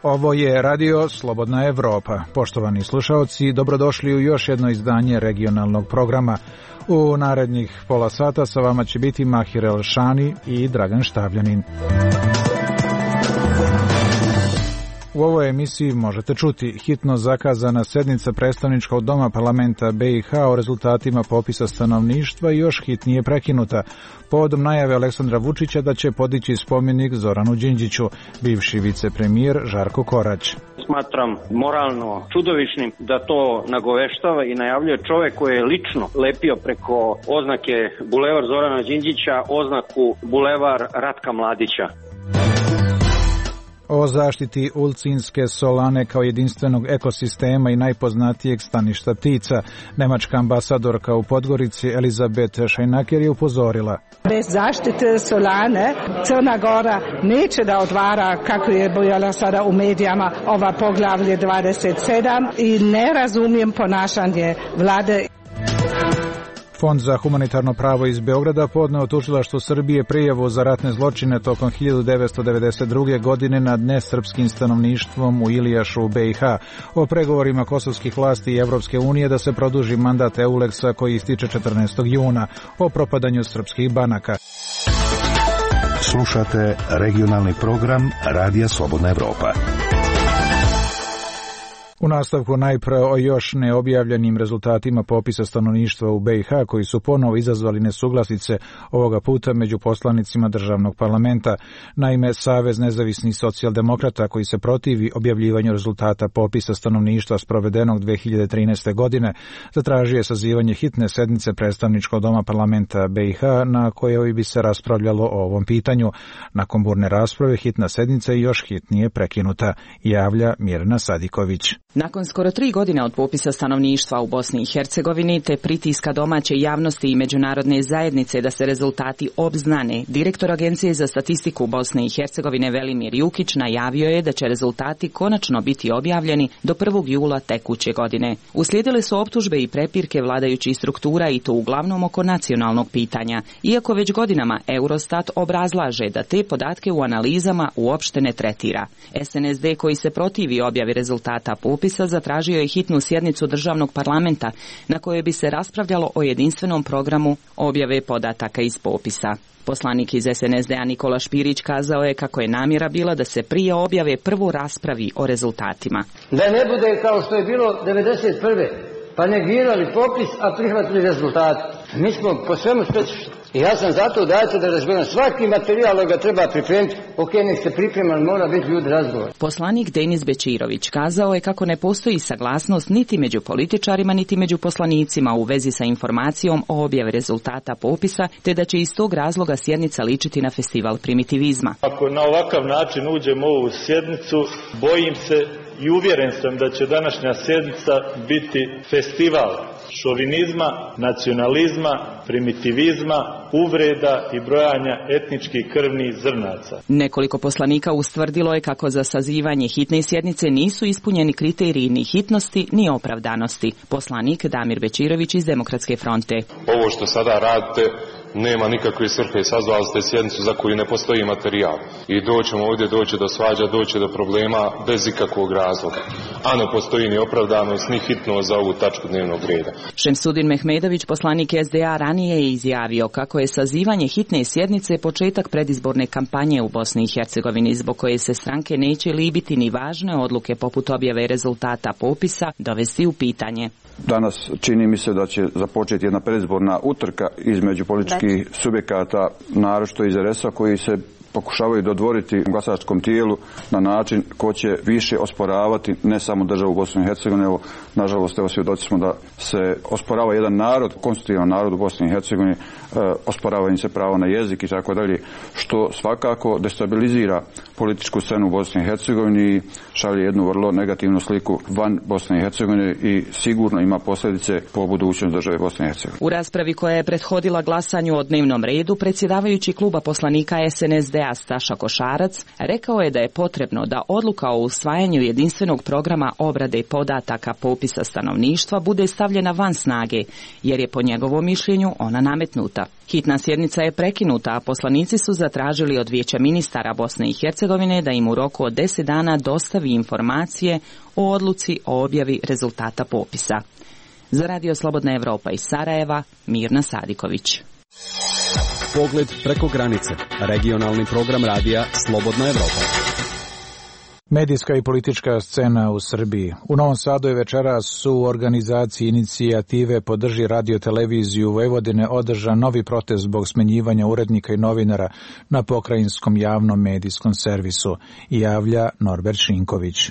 Ovo je Radio Slobodna Evropa. Poštovani slušaoci, dobrodošli u još jedno izdanje regionalnog programa. U narednih pola sata sa vama će biti Mahir Elšani i Dragan Štavljanin. U ovoj emisiji možete čuti hitno zakazana sednica predstavničkog doma parlamenta BiH o rezultatima popisa stanovništva i još hitnije prekinuta povodom najave Aleksandra Vučića da će podići spomenik Zoranu Đinđiću, bivši vicepremijer Žarko Korać. Smatram moralno čudovišnim da to nagoveštava i najavljuje čovjek koji je lično lepio preko oznake Bulevar Zorana Đinđića oznaku Bulevar Ratka Mladića. O zaštiti Ulcinske solane kao jedinstvenog ekosistema i najpoznatijeg staništa ptica, nemačka ambasadorka u Podgorici Elizabeth Šajnaker je upozorila. Bez zaštite solane Crna Gora neće da otvara, kako je bojala sada u medijama, ova poglavlje 27 i ne razumijem ponašanje vlade. Fond za humanitarno pravo iz Beograda podneo tužilaštvu Srbije prijavu za ratne zločine tokom 1992. godine nad nesrpskim stanovništvom u Ilijašu u BiH, o pregovorima kosovskih vlasti i Evropske unije da se produži mandat Euleksa koji ističe 14. juna, o propadanju srpskih banaka. Slušate regionalni program Radija Slobodna Evropa. U nastavku najpre o još neobjavljenim rezultatima popisa stanovništva u BiH koji su ponovo izazvali nesuglasice ovoga puta među poslanicima državnog parlamenta. Naime, Savez nezavisnih socijaldemokrata koji se protivi objavljivanju rezultata popisa stanovništva sprovedenog 2013. godine zatražio je sazivanje hitne sednice predstavničkog doma parlamenta BiH na kojoj bi se raspravljalo o ovom pitanju. Nakon burne rasprave hitna sednica je još hitnije prekinuta, javlja Mirna Sadiković. Nakon skoro 3 godine od popisa stanovništva u Bosni i Hercegovini te pritiska domaće javnosti i međunarodne zajednice da se rezultati obznane, direktor Agencije za statistiku Bosne i Hercegovine Velimir Jukić najavio je da će rezultati konačno biti objavljeni do 1. jula tekuće godine. Uslijedile su optužbe i prepirke vladajućih struktura i to uglavnom oko nacionalnog pitanja, iako već godinama Eurostat obrazlaže da te podatke u analizama uopšte ne tretira. SNSD koji se protivi objavi rezultata popisa zatražio je hitnu sjednicu državnog parlamenta na kojoj bi se raspravljalo o jedinstvenom programu objave podataka iz popisa. Poslanik iz SNSD-a Nikola Špirić kazao je kako je namjera bila da se prije objave prvo raspravi o rezultatima. Da ne bude kao što je bilo 1991. pa negirali popis, a prihvatili rezultate. Mi smo po svemu specifični. I ja sam zato dajte da razgovaram. Svaki materijal ga treba pripremiti. Ok, nek se priprema, mora biti ljudi razgovor. Poslanik Denis Bečirović kazao je kako ne postoji saglasnost niti među političarima, niti među poslanicima u vezi sa informacijom o objavi rezultata popisa, te da će iz tog razloga sjednica ličiti na festival primitivizma. Ako na ovakav način uđemo u ovu sjednicu, bojim se i uvjeren sam da će današnja sjednica biti festival šovinizma, nacionalizma, primitivizma, uvreda i brojanja etničkih krvnih zrnaca. Nekoliko poslanika ustvrdilo je kako za sazivanje hitne sjednice nisu ispunjeni kriteriji ni hitnosti ni opravdanosti. Poslanik Damir Bečirović iz Demokratske fronte. Ovo što sada radite nema nikakve svrhe i sazvali ste sjednicu za koju ne postoji materijal. I doćemo ovdje, doći do svađa, doći do problema bez ikakvog razloga. A ne postoji ni opravdanost, ni hitnost za ovu tačku dnevnog reda. Šemsudin Mehmedović, poslanik SDA, ranije je izjavio kako je sazivanje hitne sjednice početak predizborne kampanje u Bosni i Hercegovini, zbog koje se stranke neće libiti ni važne odluke poput objave rezultata popisa dovesti u pitanje. Danas čini mi se da će započeti jedna predizborna utrka između političkih subjekata, naročito iz RS-a, koji se pokušavaju dodvoriti glasačkom tijelu na način ko će više osporavati ne samo državu Bosne i Hercegovine, evo nažalost svjedoci smo da se osporava jedan narod, konstitutivan narod u Bosni i Hercegovini, osporava im se pravo na jezik i tako dalje, što svakako destabilizira političku scenu u Bosni i Hercegovini i šalje jednu vrlo negativnu sliku van Bosne i Hercegovine i sigurno ima posljedice po budućnost države Bosne i Hercegovine. U raspravi koja je prethodila glasanju o dnevnom redu, predsjedavajući kluba poslanika SNSD HDZ-a Staša Košarac rekao je da je potrebno da odluka o usvajanju jedinstvenog programa obrade podataka popisa stanovništva bude stavljena van snage, jer je po njegovom mišljenju ona nametnuta. Hitna sjednica je prekinuta, a poslanici su zatražili od Vijeća ministara Bosne i Hercegovine da im u roku od 10 dana dostavi informacije o odluci o objavi rezultata popisa. Za Radio Slobodna Evropa iz Sarajeva, Mirna Sadiković. Pogled preko granice. Regionalni program radija Slobodna Evropa. Medijska i politička scena u Srbiji. U Novom Sadu je večeras u organizaciji inicijative Podrži radio-televiziju Vojvodine održan novi protest zbog smenjivanja urednika i novinara na pokrajinskom javnom medijskom servisu, javlja Norbert Šinković.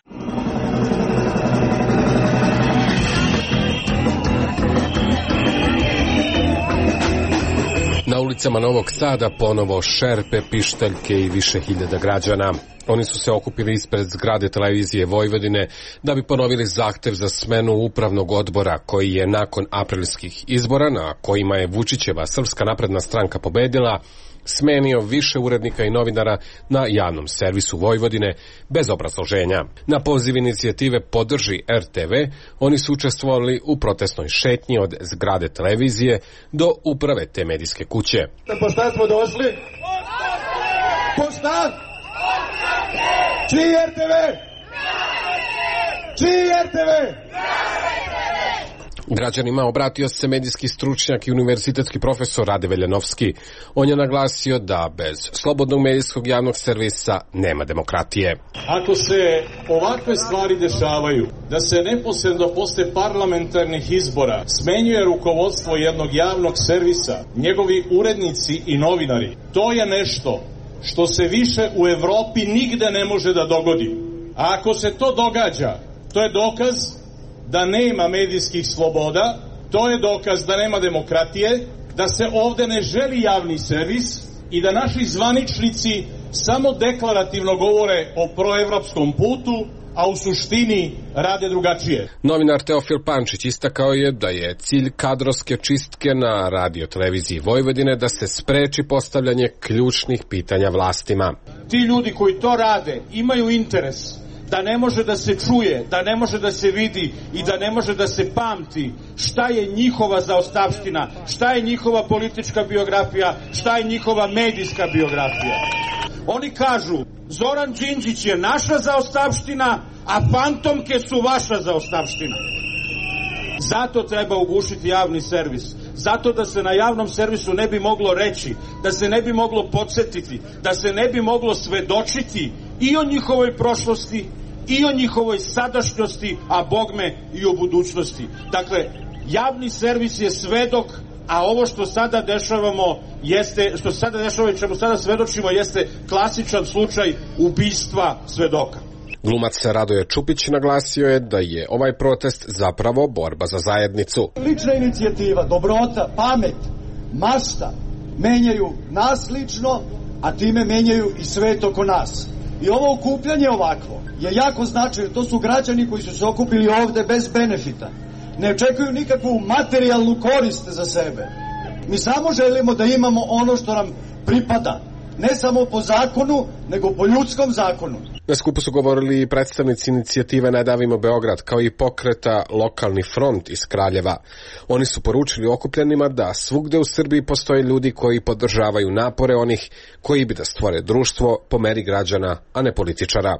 Na ulicama Novog Sada ponovo šerpe, pištaljke i više hiljada građana. Oni su se okupili ispred zgrade televizije Vojvodine da bi ponovili zahtev za smenu upravnog odbora koji je nakon aprilskih izbora, na kojima je Vučićeva Srpska napredna stranka pobedila, smenio više urednika i novinara na javnom servisu Vojvodine bez obrazloženja. Na poziv inicijative Podrži RTV oni su učestvovali u protestnoj šetnji od zgrade televizije do uprave te medijske kuće. Po šta smo došli? Po šta? Čiji RTV? Čiji RTV? Građanima obratio se medijski stručnjak i univerzitetski profesor Rade Veljanovski. On je naglasio da bez slobodnog medijskog javnog servisa nema demokratije. Ako se ovakve stvari dešavaju, da se neposredno posle parlamentarnih izbora smenjuje rukovodstvo jednog javnog servisa, njegovi urednici i novinari, to je nešto što se više u Evropi nigde ne može da dogodi. A ako se to događa, to je dokaz da nema medijskih sloboda, to je dokaz da nema demokratije, da se ovde ne želi javni servis i da naši zvaničnici samo deklarativno govore o proevropskom putu, a u suštini rade drugačije. Novinar Teofil Pančić istakao je da je cilj kadrovske čistke na radio-televiziji Vojvodine da se spreči postavljanje ključnih pitanja vlastima. Ti ljudi koji to rade imaju interes da ne može da se čuje, da ne može da se vidi i da ne može da se pamti šta je njihova zaostavština, šta je njihova politička biografija, šta je njihova medijska biografija. Oni kažu, Zoran Đinđić je naša zaostavština, a fantomke su vaša zaostavština. Zato treba ugušiti javni servis. Zato da se na javnom servisu ne bi moglo reći, da se ne bi moglo podsjetiti, da se ne bi moglo svedočiti i o njihovoj prošlosti, i o njihovoj sadašnjosti, a bogme i o budućnosti. Dakle, javni servis je svedok, a ovo što sada dešavamo jeste, što sada dešava i čemu sada svedočimo jeste klasičan slučaj ubistva svedoka. Glumac Radoje Čupić naglasio je da je ovaj protest zapravo borba za zajednicu. Lična inicijativa, dobrota, pamet, mašta menjaju nas lično, a time menjaju i svet oko nas. I ovo okupljanje ovakvo je jako značajno. To su građani koji su se okupili ovde bez benefita. Ne očekuju nikakvu materijalnu korist za sebe. Mi samo želimo da imamo ono što nam pripada. Ne samo po zakonu, nego po ljudskom zakonu. Na skupu su govorili i predstavnici inicijative Ne davimo Beograd, kao i pokreta Lokalni front iz Kraljeva. Oni su poručili okupljenima da svugde u Srbiji postoje ljudi koji podržavaju napore onih koji bi da stvore društvo po meri građana, a ne političara.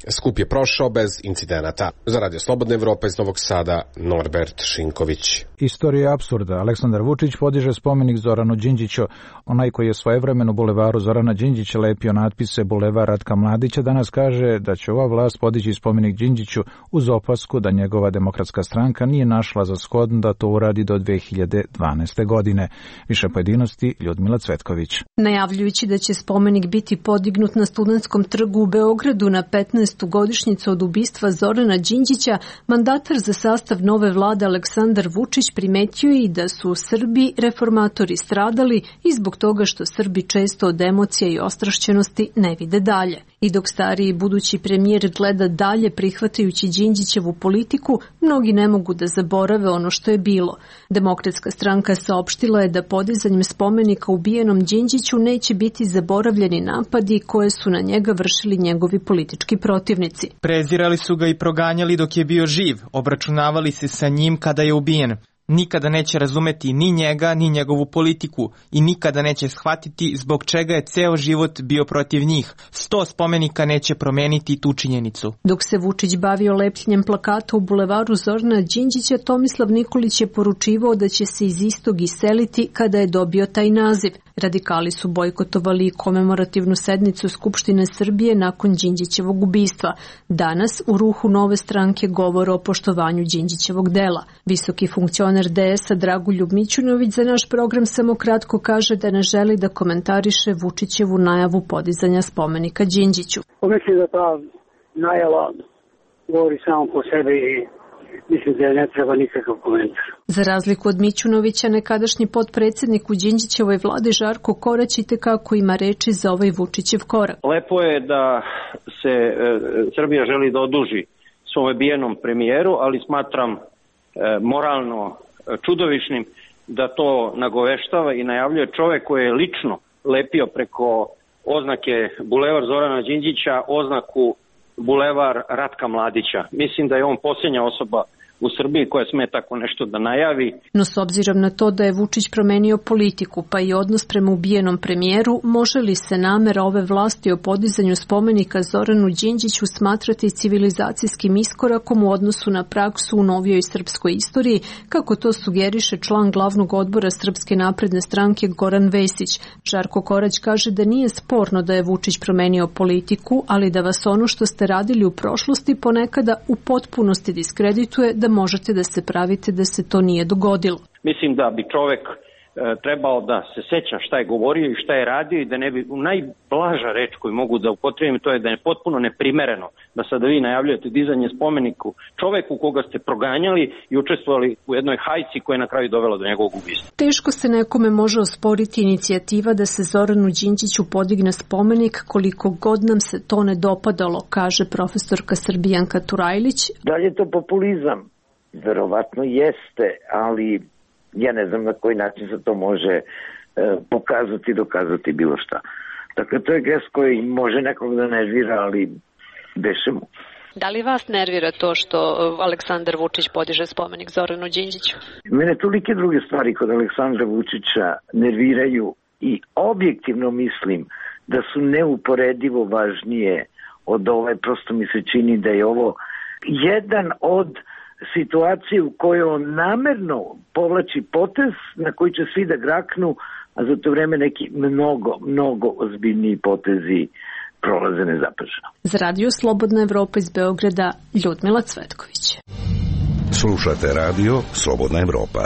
Skup je prošao bez incidenata. Za Radio Slobodna Evropa iz Novog Sada, Norbert Šinković. Istorija apsurda. Aleksandar Vučić podiže spomenik Zoranu Đinđiću. Onaj koji je svojevremeno bulevaru Zorana Đinđića lepio natpise Bulevar Ratka Mladića danas kaže da će ova vlast podići spomenik Đinđiću uz opasku da njegova demokratska stranka nije našla za shodno da to uradi do 2012. godine. Više pojedinosti Ljudmila Cvetković. Najavljujući da će spomenik biti podignut na Studentskom trgu u Beogradu na 15. godišnjicu od ubistva Zorana Đinđića, mandatar za sastav nove vlade Aleksandar Vučić primetio i da su u Srbiji reformatori stradali i zbog toga što Srbi često od emocija i ostrašćenosti ne vide dalje. I dok stariji budući premijer gleda dalje prihvatajući Đinđićevu politiku, mnogi ne mogu da zaborave ono što je bilo. Demokratska stranka saopštila je da podizanjem spomenika ubijenom Đinđiću neće biti zaboravljeni napadi koje su na njega vršili njegovi politički protivnici. Prezirali su ga i proganjali dok je bio živ, obračunavali se sa njim kada je ubijen. Nikada neće razumeti ni njega, ni njegovu politiku i nikada neće shvatiti zbog čega je ceo život bio protiv njih. 100 spomenika neće promeniti tu činjenicu. Dok se Vučić bavio lepljenjem plakata u bulevaru Zorana Đinđića, Tomislav Nikolić je poručivao da će se iz istog iseliti kada je dobio taj naziv. Radikali su bojkotovali komemorativnu sednicu Skupštine Srbije nakon Đinđićevog ubistva. Danas u ruhu Nove stranke govore o poštovanju Đinđićevog dela. Visoki funkcioner DS-a Dragoljub Mićunović za naš program samo kratko kaže da ne želi da komentariše Vučićevu najavu podizanja spomenika Đinđiću. Mislim da ta najava govori samo po sebi i mislim da ne treba nikakav komentar. Za razliku od Mićunovića, nekadašnji potpredsjednik u Đinđićevoj vladi Žarko Korać itekako ima reči za ovaj Vučićev korak. Lepo je da se Srbija želi da oduži svom bijenom premijeru, ali smatram moralno čudovišnim da to nagoveštava i najavljuje čovek koji je lično lepio preko oznake Bulevar Zorana Đinđića oznaku Bulevar Ratka Mladića. Mislim da je on posljednja osoba u Srbiji koja sme tako nešto da najavi. No s obzirom na to da je Vučić promenio politiku pa i odnos prema ubijenom premijeru, može li se namera ove vlasti o podizanju spomenika Zoranu Đinđiću smatrati civilizacijskim iskorakom u odnosu na praksu u novijoj srpskoj istoriji, kako to sugeriše član glavnog odbora Srpske napredne stranke Goran Vesić? Žarko Korać kaže da nije sporno da je Vučić promenio politiku, ali da vas ono što ste radili u prošlosti ponekada u potpunosti diskredituje, da možete da se pravite da se to nije dogodilo. Mislim da bi čovek trebao da se seća šta je govorio i šta je radio i da ne bi, najblaža reč koju mogu da upotrebim, to je da je potpuno neprimereno da sada vi najavljujete dizanje spomeniku čoveku koga ste proganjali i učestvovali u jednoj hajci koja je na kraju dovela do njegovog ubistva. Teško se nekome može osporiti inicijativa da se Zoranu Đinđiću podigne spomenik koliko god nam se to ne dopadalo, kaže profesorka Srbijanka Turajlić. Da li je to populizam? Verovatno jeste, ali ja ne znam na koji način se to može pokazati i dokazati bilo šta. Dakle, to je gest koji može nekog da nervira, ali beše mu. Da li vas nervira to što Aleksandar Vučić podiže spomenik Zoranu Đinđiću? Mene tolike druge stvari kod Aleksandra Vučića nerviraju i objektivno mislim da su neuporedivo važnije od ove. Prosto mi se čini da je ovo jedan od situacije u kojoj on namerno povlači potez na koji će svi da graknu, a za to vreme neki mnogo ozbiljniji potezi prolaze nezapaženo. Za Radio Slobodna Evropa iz Beograda, Ljudmila Cvetković. Slušate Radio Slobodna Evropa.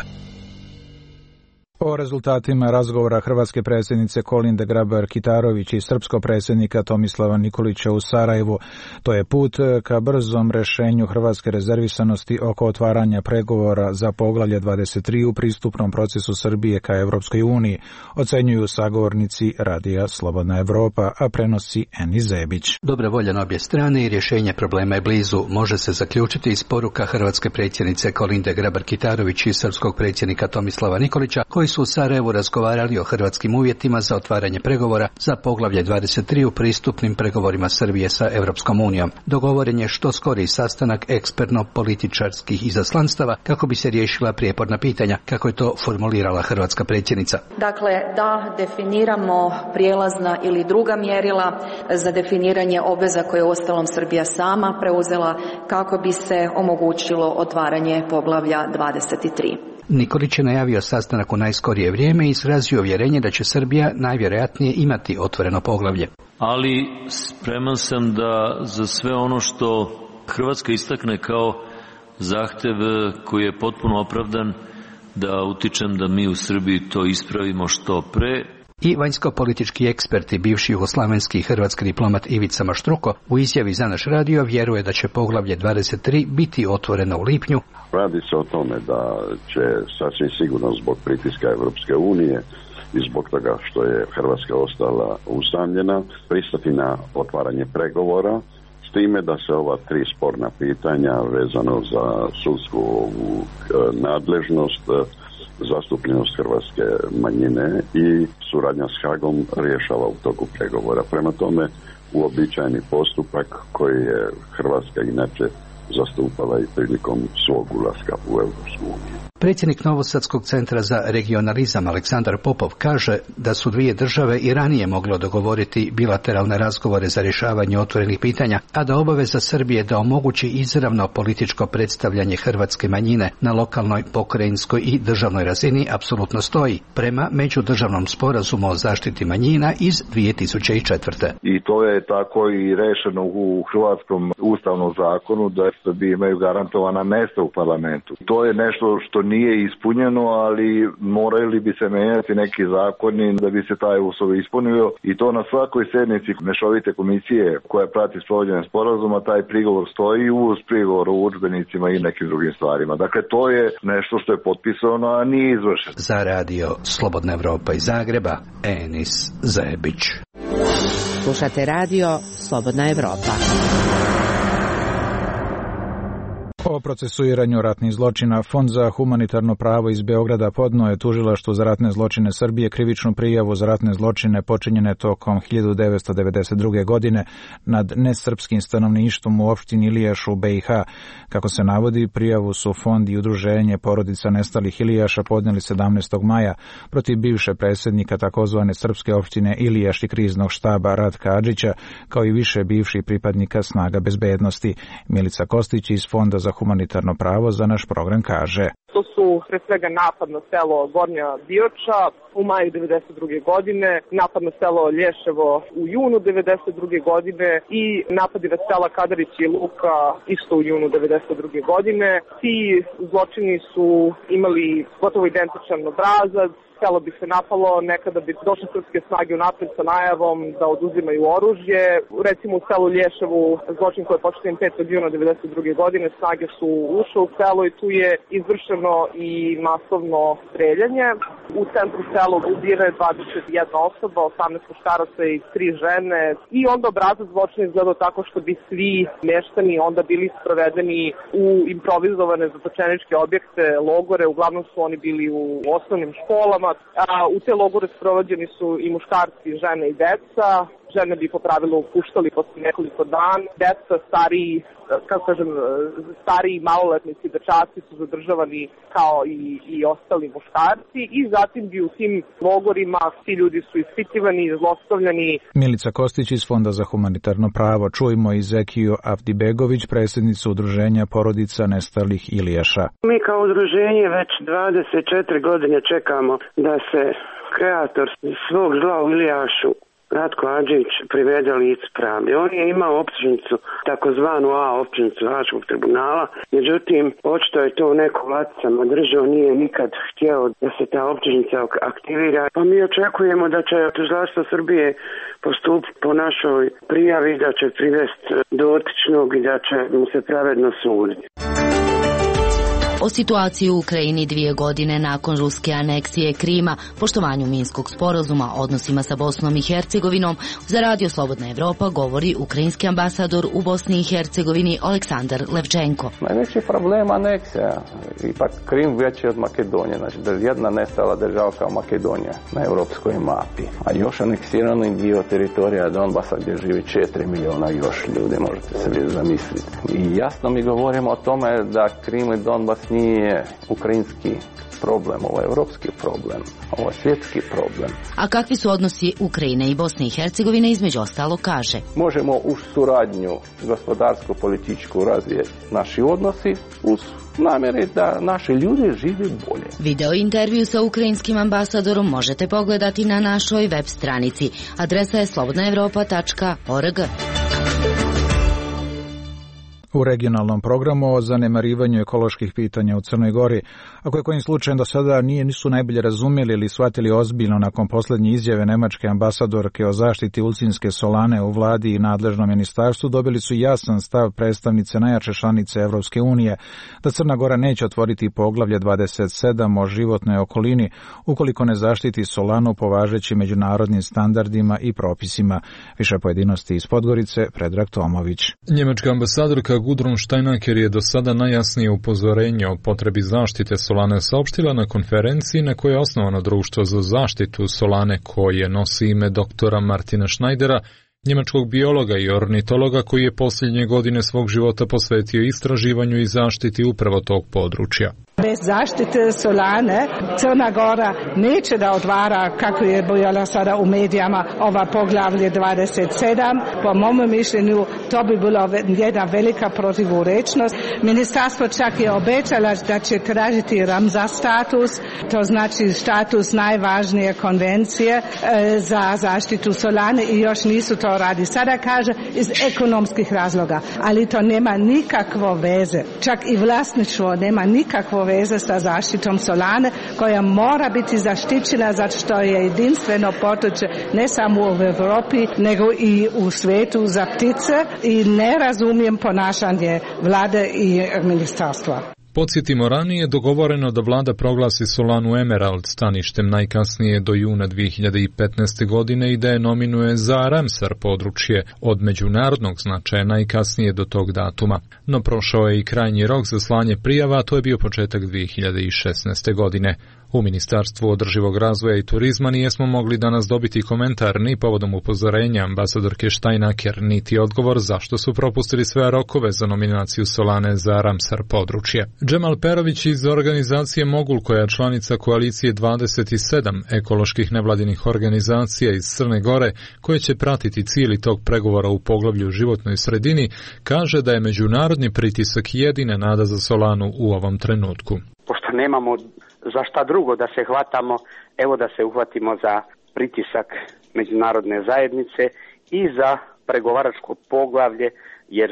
O rezultatima razgovora hrvatske predsjednice Kolinde Grabar-Kitarović i srpskog predsjednika Tomislava Nikolića u Sarajevu, to je put ka brzom rešenju hrvatske rezervisanosti oko otvaranja pregovora za poglavlje 23 u pristupnom procesu Srbije ka Evropskoj uniji, ocenjuju sagovornici Radija Slobodna Evropa, a prenosi Eni Zebić. Dobra volja na obje strane i rješenje problema je blizu, može se zaključiti iz poruka hrvatske predsjednice Kolinde Grabar-Kitarović i srpskog predsjednika Tomislava Nikolića, koji su u Sarajevu razgovarali o hrvatskim uvjetima za otvaranje pregovora za poglavlje 23 u pristupnim pregovorima Srbije sa Evropskom unijom. Dogovoren je što skoriji sastanak ekspertno-političarskih izaslanstava kako bi se riješila prijeporna pitanja, kako je to formulirala hrvatska predsjednica. Dakle, da definiramo prijelazna ili druga mjerila za definiranje obveza koje je uostalom Srbija sama preuzela kako bi se omogućilo otvaranje poglavlja 23. Nikolić je najavio sastanak u najskorije vrijeme i izrazio uvjerenje da će Srbija najvjerojatnije imati otvoreno poglavlje. Ali spreman sam da za sve ono što Hrvatska istakne kao zahtev koji je potpuno opravdan, da utičem da mi u Srbiji to ispravimo što pre. I vanjsko-politički ekspert i bivši jugoslavenski hrvatski diplomat Ivica Maštruko u izjavi za naš radio vjeruje da će poglavlje 23 biti otvoreno u lipnju. Radi se o tome da će sasvim sigurno zbog pritiska Evropske unije i zbog toga što je Hrvatska ostala usamljena, pristati na otvaranje pregovora, s time da se ova 3 sporna pitanja vezano za sudsku nadležnost, zastupljenost hrvatske manjine i suradnja s Hagom rješava u toku pregovora. Prema tome, uobičajeni postupak koji je Hrvatska inače zastupala i prilikom svog ulaska u Europsku uniju. Predsjednik Novosadskog centra za regionalizam Aleksandar Popov kaže da su dvije države i ranije mogle dogovoriti bilateralne razgovore za rješavanje otvorenih pitanja, a da obaveza Srbije da omogući izravno političko predstavljanje hrvatske manjine na lokalnoj, pokrajinskoj i državnoj razini apsolutno stoji prema međudržavnom sporazumu o zaštiti manjina iz 2004. I to je tako i rešeno u hrvatskom ustavnom zakonu da Srbi imaju garantovana mjesta u parlamentu. To je nešto što nije ispunjeno, ali morali bi se menjati neki zakoni da bi se taj uslov ispunio i to na svakoj sjednici mešovite komisije koja prati sprovođenje sporazuma, taj prigovor stoji uz prigovor o udžbenicima i nekim drugim stvarima. Dakle, to je nešto što je potpisano, a nije izvršeno. Za radio Slobodna Evropa iz Zagreba, Enis Zebić. Slušate radio Slobodna Evropa. O procesuiranju ratnih zločina Fond za humanitarno pravo iz Beograda podnio je tužilaštvu za ratne zločine Srbije krivičnu prijavu za ratne zločine počinjene tokom 1992. godine nad nesrpskim stanovništvom u opštini Ilijaš u BiH. Kako se navodi, prijavu su Fond i udruženje porodica nestalih Ilijaša podnijeli 17. maja protiv bivše predsjednika takozvane srpske opštine Ilijaš i kriznog štaba Ratka Adžića, kao i više bivših pripadnika snaga bezbednosti. Milica Kostić iz Fonda za humanitarno pravo za naš program kaže: To su pre svega napad na selo Gornja Bioča u maju 1992. godine, napad na selo Lješevo u junu 1992. godine i napadi na sela Kadarić i Luka isto u junu 1992. godine. Ti zločini su imali gotovo identičan obrazac. Selo bi se napalo, nekada bi došle srpske snage unapred sa najavom da oduzimaju oružje. Recimo u selu Lješevu, zločin koji je počinjen 5. juna 1992. godine, snage su ušle u selo i tu je izvršeno i masovno streljanje. U centru sela ubijena je 21 osoba, 18 muškaraca i 3 žene. I onda obrazac zločina izgledao tako što bi svi meštani onda bili sprovedeni u improvizovane zatočeničke objekte, logore. Uglavnom su oni bili u osnovnim školama. U te logore sprovođeni su i muškarci, žene i deca. Žene bi po pravilu puštali posle nekoliko dana. Deca, stariji maloletnici, dečaci su zadržavani kao i ostali muškarci i zatim bi u tim logorima svi ljudi su ispitivani, zlostavljani. Milica Kostić iz Fonda za humanitarno pravo. Čujmo i Zekiju Avdibegović, predsjednicu udruženja porodica nestalih Ilijaša. Mi kao udruženje već 24 godine čekamo da se kreator svog zla u Ilijašu Ratko Adžić privede licu pravde. On je imao optužnicu, takozvanu A optužnicu Haškog tribunala, međutim, očito je to neko laticama držao, nije nikad htjeo da se ta optužnica aktivira. Pa mi očekujemo da će tužilaštvo Srbije postupiti po našoj prijavi, da će privesti dotičnog i da će mu se pravedno suditi. O situaciji u Ukrajini 2 godine nakon ruske aneksije Krima, poštovanju Minskog sporazuma, odnosima sa Bosnom i Hercegovinom, za radio Slobodna Evropa govori ukrajinski ambasador u Bosni i Hercegovini Aleksandar Levčenko. Najveći problem aneksija. Ipak Krim veći od Makedonije, znači jedna nestala država kao Makedonija na europskoj mapi. A još aneksirani dio teritorija Donbasa gdje živi 4 miliona još ljudi, možete se zamisliti. I jasno mi govorimo o tome da Krim i Donbas nije ukrajinski problem, ovo je evropski problem, ovo je svjetski problem. A kakvi su odnosi Ukrajine i Bosne i Hercegovine, između ostalo kaže: Možemo uz suradnju gospodarsko-političku razvijeti naši odnosi uz namjeri da naši ljudi žive bolje. Video intervju sa ukrajinskim ambasadorom možete pogledati na našoj web stranici. Adresa je slobodnaevropa.org. u regionalnom programu o zanemarivanju ekoloških pitanja u Crnoj Gori, a koje kojim slučajem do sada nisu najbolje razumjeli ili shvatili ozbiljno nakon posljednje izjave nemačke ambasadorke o zaštiti ulcinske solane u vladi i nadležnom ministarstvu, dobili su jasan stav predstavnice najjače članice Evropske unije da Crna Gora neće otvoriti poglavlje 27 o životnoj okolini ukoliko ne zaštiti solanu po važećim međunarodnim standardima i propisima. Više pojedinosti iz Podgorice, Predrag Tomović. Njemačka ambasadorka Gudrun Steinaker je do sada najjasnije upozorenje o potrebi zaštite solane saopštila na konferenciji na kojoj je osnovano društvo za zaštitu solane koje nosi ime doktora Martina Schneidera, njemačkog biologa i ornitologa koji je posljednje godine svog života posvetio istraživanju i zaštiti upravo tog područja. Bez zaštite solane Crna Gora neće da otvara, kako je bojala sada u medijama, ova poglavlje 27. Po mom mišljenju to bi bilo jedna velika protivurečnost. Ministarstvo čak je obećala da će tražiti Ramsar status, to znači status najvažnije konvencije za zaštitu solane i još nisu to radi. Sada kaže iz ekonomskih razloga, ali to nema nikakvo veze. Čak i vlasništvo nema nikakvo veze sa zaštitom solane koja mora biti zaštićena zato što je jedinstveno područje ne samo u Europi nego i u svijetu za ptice i ne razumijem ponašanje vlade i ministarstva. Podsjetimo, ranije dogovoreno da vlada proglasi solanu Emerald staništem najkasnije do juna 2015. godine i da je nominuje za Ramsar područje od međunarodnog značaja najkasnije do tog datuma. No prošao je i krajnji rok za slanje prijava, a to je bio početak 2016. godine. U Ministarstvu održivog razvoja i turizma nijesmo mogli danas dobiti komentar ni povodom upozorenja ambasadorke Steinaker, niti odgovor zašto su propustili sve rokove za nominaciju solane za Ramsar područje. Džemal Perović iz organizacije Mogul, koja je članica koalicije 27 ekoloških nevladinih organizacija iz Crne Gore, koje će pratiti cijeli tog pregovora u poglavlju životnoj sredini, kaže da je međunarodni pritisak jedina nada za solanu u ovom trenutku. Pošto nemamo za šta drugo da se hvatamo, evo da se uhvatimo za pritisak međunarodne zajednice i za pregovaračko poglavlje, jer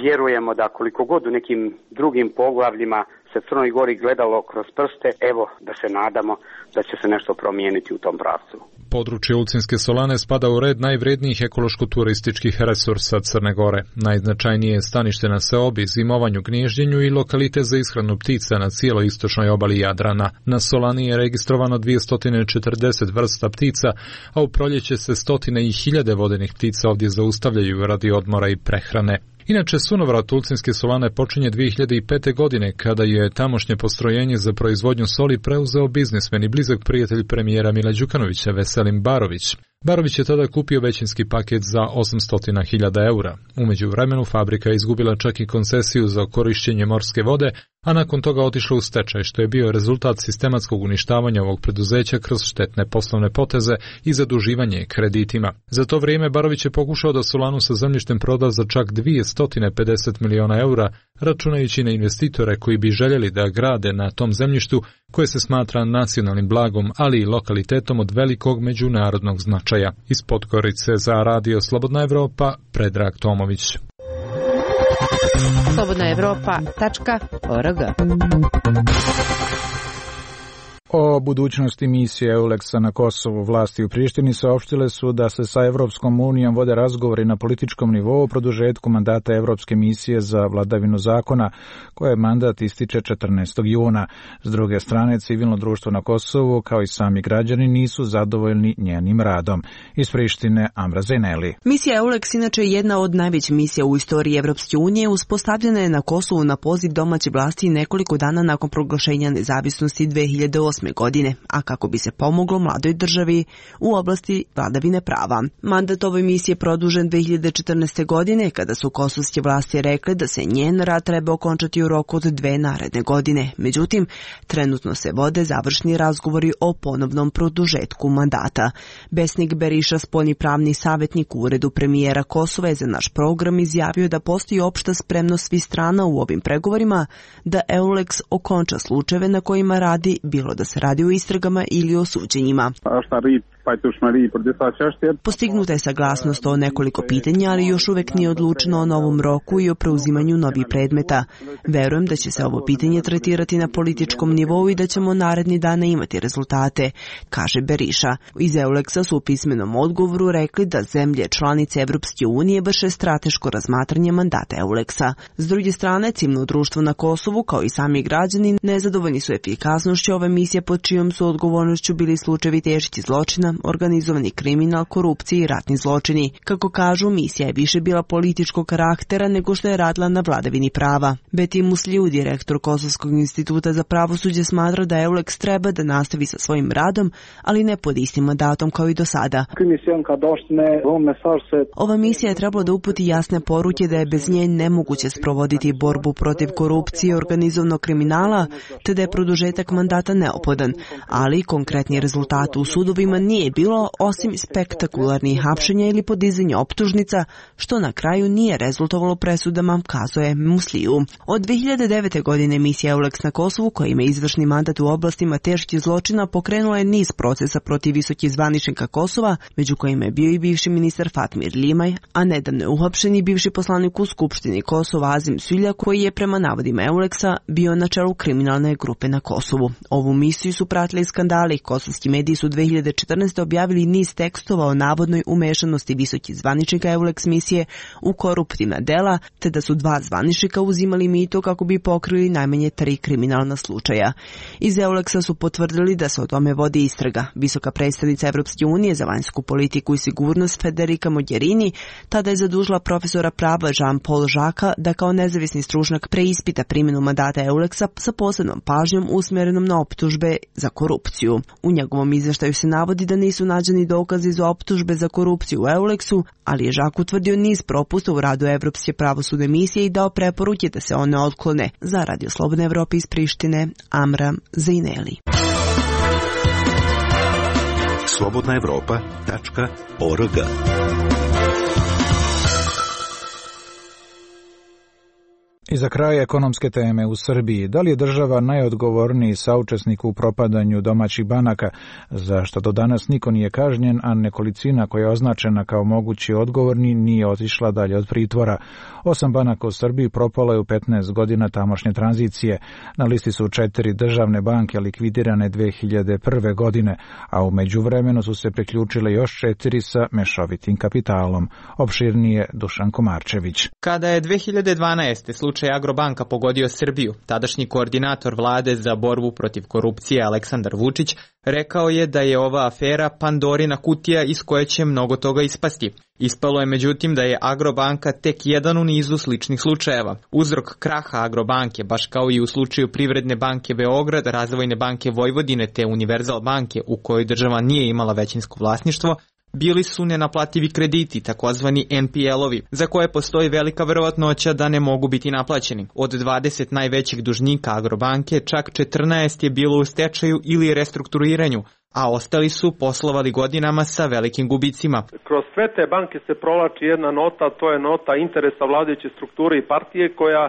vjerujemo da koliko god u nekim drugim poglavljima se Crnoj Gori gledalo kroz prste, evo da se nadamo da će se nešto promijeniti u tom pravcu. Područje Ulcinske solane spada u red najvrednijih ekološko-turističkih resursa Crne Gore. Najznačajnije je stanište na seobi, zimovanju, gnježđenju i lokalitet za ishranu ptica na cijeloj istočnoj obali Jadrana. Na solani je registrovano 240 vrsta ptica, a u proljeće se stotine i hiljade vodenih ptica ovdje zaustavljaju radi odmora i prehrane. Inače, sunovrat Ulcinske solane počinje 2005. godine, kada je tamošnje postrojenje za proizvodnju soli preuzeo biznismen i blizak prijatelj premijera Mila Đukanovića, Veselin Barović. Barović je tada kupio većinski paket za 800.000 eura. Umeđu vremenu fabrika je izgubila čak i koncesiju za korišćenje morske vode, a nakon toga otišla u stečaj, što je bio rezultat sistematskog uništavanja ovog preduzeća kroz štetne poslovne poteze i zaduživanje kreditima. Za to vrijeme Barović je pokušao da solanu sa zemljištem proda za čak 250 miliona eura, računajući na investitore koji bi željeli da grade na tom zemljištu koje se smatra nacionalnim blagom, ali i lokalitetom od velikog međunarodnog značaja. Iz Podgorice za Radio Slobodna Evropa, Predrag Tomović. slobodnaevropa.org. O budućnosti misije EULEX-a na Kosovu vlasti u Prištini saopštile su da se sa Evropskom unijom vode razgovori na političkom nivou o produžetku mandata Evropske misije za vladavinu zakona, koje mandat ističe 14. juna. S druge strane, civilno društvo na Kosovu, kao i sami građani, nisu zadovoljni njenim radom. Iz Prištine, Amra Zeneli. Misija EULEX inače je jedna od najvećih misija u istoriji Evropske unije, uspostavljena je na Kosovu na poziv domaće vlasti nekoliko dana nakon proglašenja nezavisnosti 2008. godine, a kako bi se pomoglo mladoj državi u oblasti vladavine prava. Mandat ove misije produžen 2014. godine, kada su kosovske vlasti rekle da se njen rad treba okončati u roku od 2 naredne godine. Međutim, trenutno se vode završni razgovori o ponovnom produžetku mandata. Besnik Beriša, spoljni pravni savjetnik u uredu premijera Kosova, je za naš program izjavio da postoji opšta spremnost svih strana u ovim pregovorima da EULEX okonča slučajeve na kojima radi, bilo da se radi o istragama ili o suđenjima. Postignuta je saglasnost o nekoliko pitanja, ali još uvek nije odlučeno o novom roku i o preuzimanju novih predmeta. Verujem da će se ovo pitanje tretirati na političkom nivou i da ćemo naredni dana imati rezultate, kaže Beriša. Iz EULEX-a su u pismenom odgovoru rekli da zemlje članice Evropske unije vrše strateško razmatranje mandata EULEX-a. S druge strane, civilno društvo na Kosovu, kao i sami građani, nezadovoljni su efikasnošću ove misije pod čijom su odgovornošću bili slučajevi teških zločina, organizovani kriminal, korupcije i ratni zločini. Kako kažu, misija je više bila političkog karaktera nego što je radila na vladavini prava. Beti Musliju, direktor Kosovskog instituta za pravosuđe, smatra da EULEX treba da nastavi sa svojim radom, ali ne pod istim mandatom kao i do sada. Ova misija je trebala da uputi jasne poruke da je bez nje nemoguće sprovoditi borbu protiv korupcije i organizovanog kriminala, te da je produžetak mandata neophodan, ali konkretni rezultat u sudovima nije bilo osim spektakularnih hapšenja ili podizanja optužnica, što na kraju nije rezultovalo presudama, kazuje Musliju. Od 2009. godine misija EULEX na Kosovu, koja ima izvršni mandat u oblastima teških zločina, pokrenula je niz procesa protiv visokih zvaničnika Kosova, među kojima je bio i bivši ministar Fatmir Limaj, a nedavno je uhapšen i bivši poslanik u Skupštini Kosova Azim Sulja, koji je prema navodima EULEX-a bio na čelu kriminalne grupe na Kosovu. Ovu misiju su pratili skandali. Kosovski mediji su 2014. objavili niz tekstova o navodnoj umešanosti visokih zvaničnika EULEX misije u koruptivna dela, te da su 2 zvaničnika uzimali mito kako bi pokrili najmanje 3 kriminalna slučaja. Iz EULEX-a su potvrdili da se o tome vodi istraga. Visoka predstavnica Evropske unije za vanjsku politiku i sigurnost Federica Mogherini tada je zadužila profesora prava Jean-Paul Jacquesa da kao nezavisni stručnjak preispita primjenu mandata EULEX-a sa posebnom pažnjom usmjerenom na optužbe za korupciju. U njegovom izveštaju se navodi da nisu nađeni dokazi za optužbe za korupciju u EULEX-u, ali je Jacques utvrdio niz propusta u radu Evropske pravosudne misije i dao preporuke da se one otklone. Za Radio Slobodne Evrope iz Prištine, Amra Zaineli. slobodnaevropa.org. I za kraj ekonomske teme u Srbiji. Da li je država najodgovorniji saučesnik u propadanju domaćih banaka, za što do danas niko nije kažnjen, a nekolicina koja je označena kao mogući odgovorni nije otišla dalje od pritvora? 8 banaka u Srbiji propalo je u 15 godina tamošnje tranzicije. Na listi su 4 državne banke likvidirane 2001. godine, a u međuvremenu su se priključile još 4 sa mešovitim kapitalom. Opširnije Dušan Komarčević. Kada je 2012. slučaj Agrobanka pogodio Srbiju, tadašnji koordinator vlade za borbu protiv korupcije Aleksandar Vučić rekao je da je ova afera Pandorina kutija iz koje će mnogo toga ispasti. Ispalo je međutim da je Agrobanka tek jedan u nizu sličnih slučajeva. Uzrok kraha Agrobanke, baš kao i u slučaju Privredne banke Beograd, Razvojne banke Vojvodine te Univerzal banke, u kojoj država nije imala većinsko vlasništvo, bili su nenaplativi krediti, takozvani NPL-ovi, za koje postoji velika verovatnoća da ne mogu biti naplaćeni. Od 20 najvećih dužnika Agrobanke, čak 14 je bilo u stečaju ili restrukturiranju, a ostali su poslovali godinama sa velikim gubicima. Kroz sve te banke se provlači jedna nota, to je nota interesa vladajuće strukture i partije koja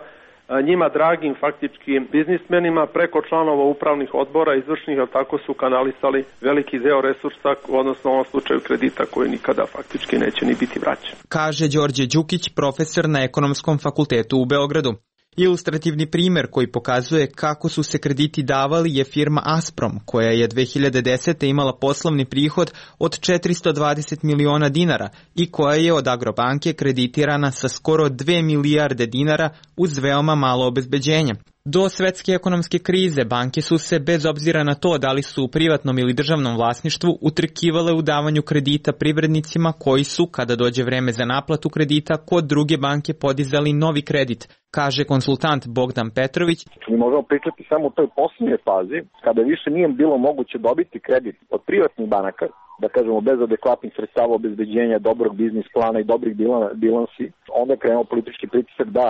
njima dragim faktički biznismenima preko članova upravnih odbora izvršnih, ali tako su kanalisali veliki deo resursa, odnosno u ovom slučaju kredita koji nikada faktički neće ni biti vraćen. Kaže Đorđe Đukić, profesor na Ekonomskom fakultetu u Beogradu. Ilustrativni primjer koji pokazuje kako su se krediti davali je firma Asprom, koja je 2010. imala poslovni prihod od 420 miliona dinara i koja je od Agrobanke kreditirana sa skoro 2 milijarde dinara uz veoma malo obezbeđenja. Do svetske ekonomske krize banke su se, bez obzira na to da li su u privatnom ili državnom vlasništvu, utrkivale u davanju kredita privrednicima koji su, kada dođe vreme za naplatu kredita, kod druge banke podizali novi kredit, kaže konsultant Bogdan Petrović. Mi možemo pričati samo u toj posljednjoj fazi, kada više nije bilo moguće dobiti kredit od privatnih banaka, da kažemo bez adekvatnih sredstava obezbeđenja, dobrog biznis plana i dobrih bilansi, onda je krenuo politički pritisak da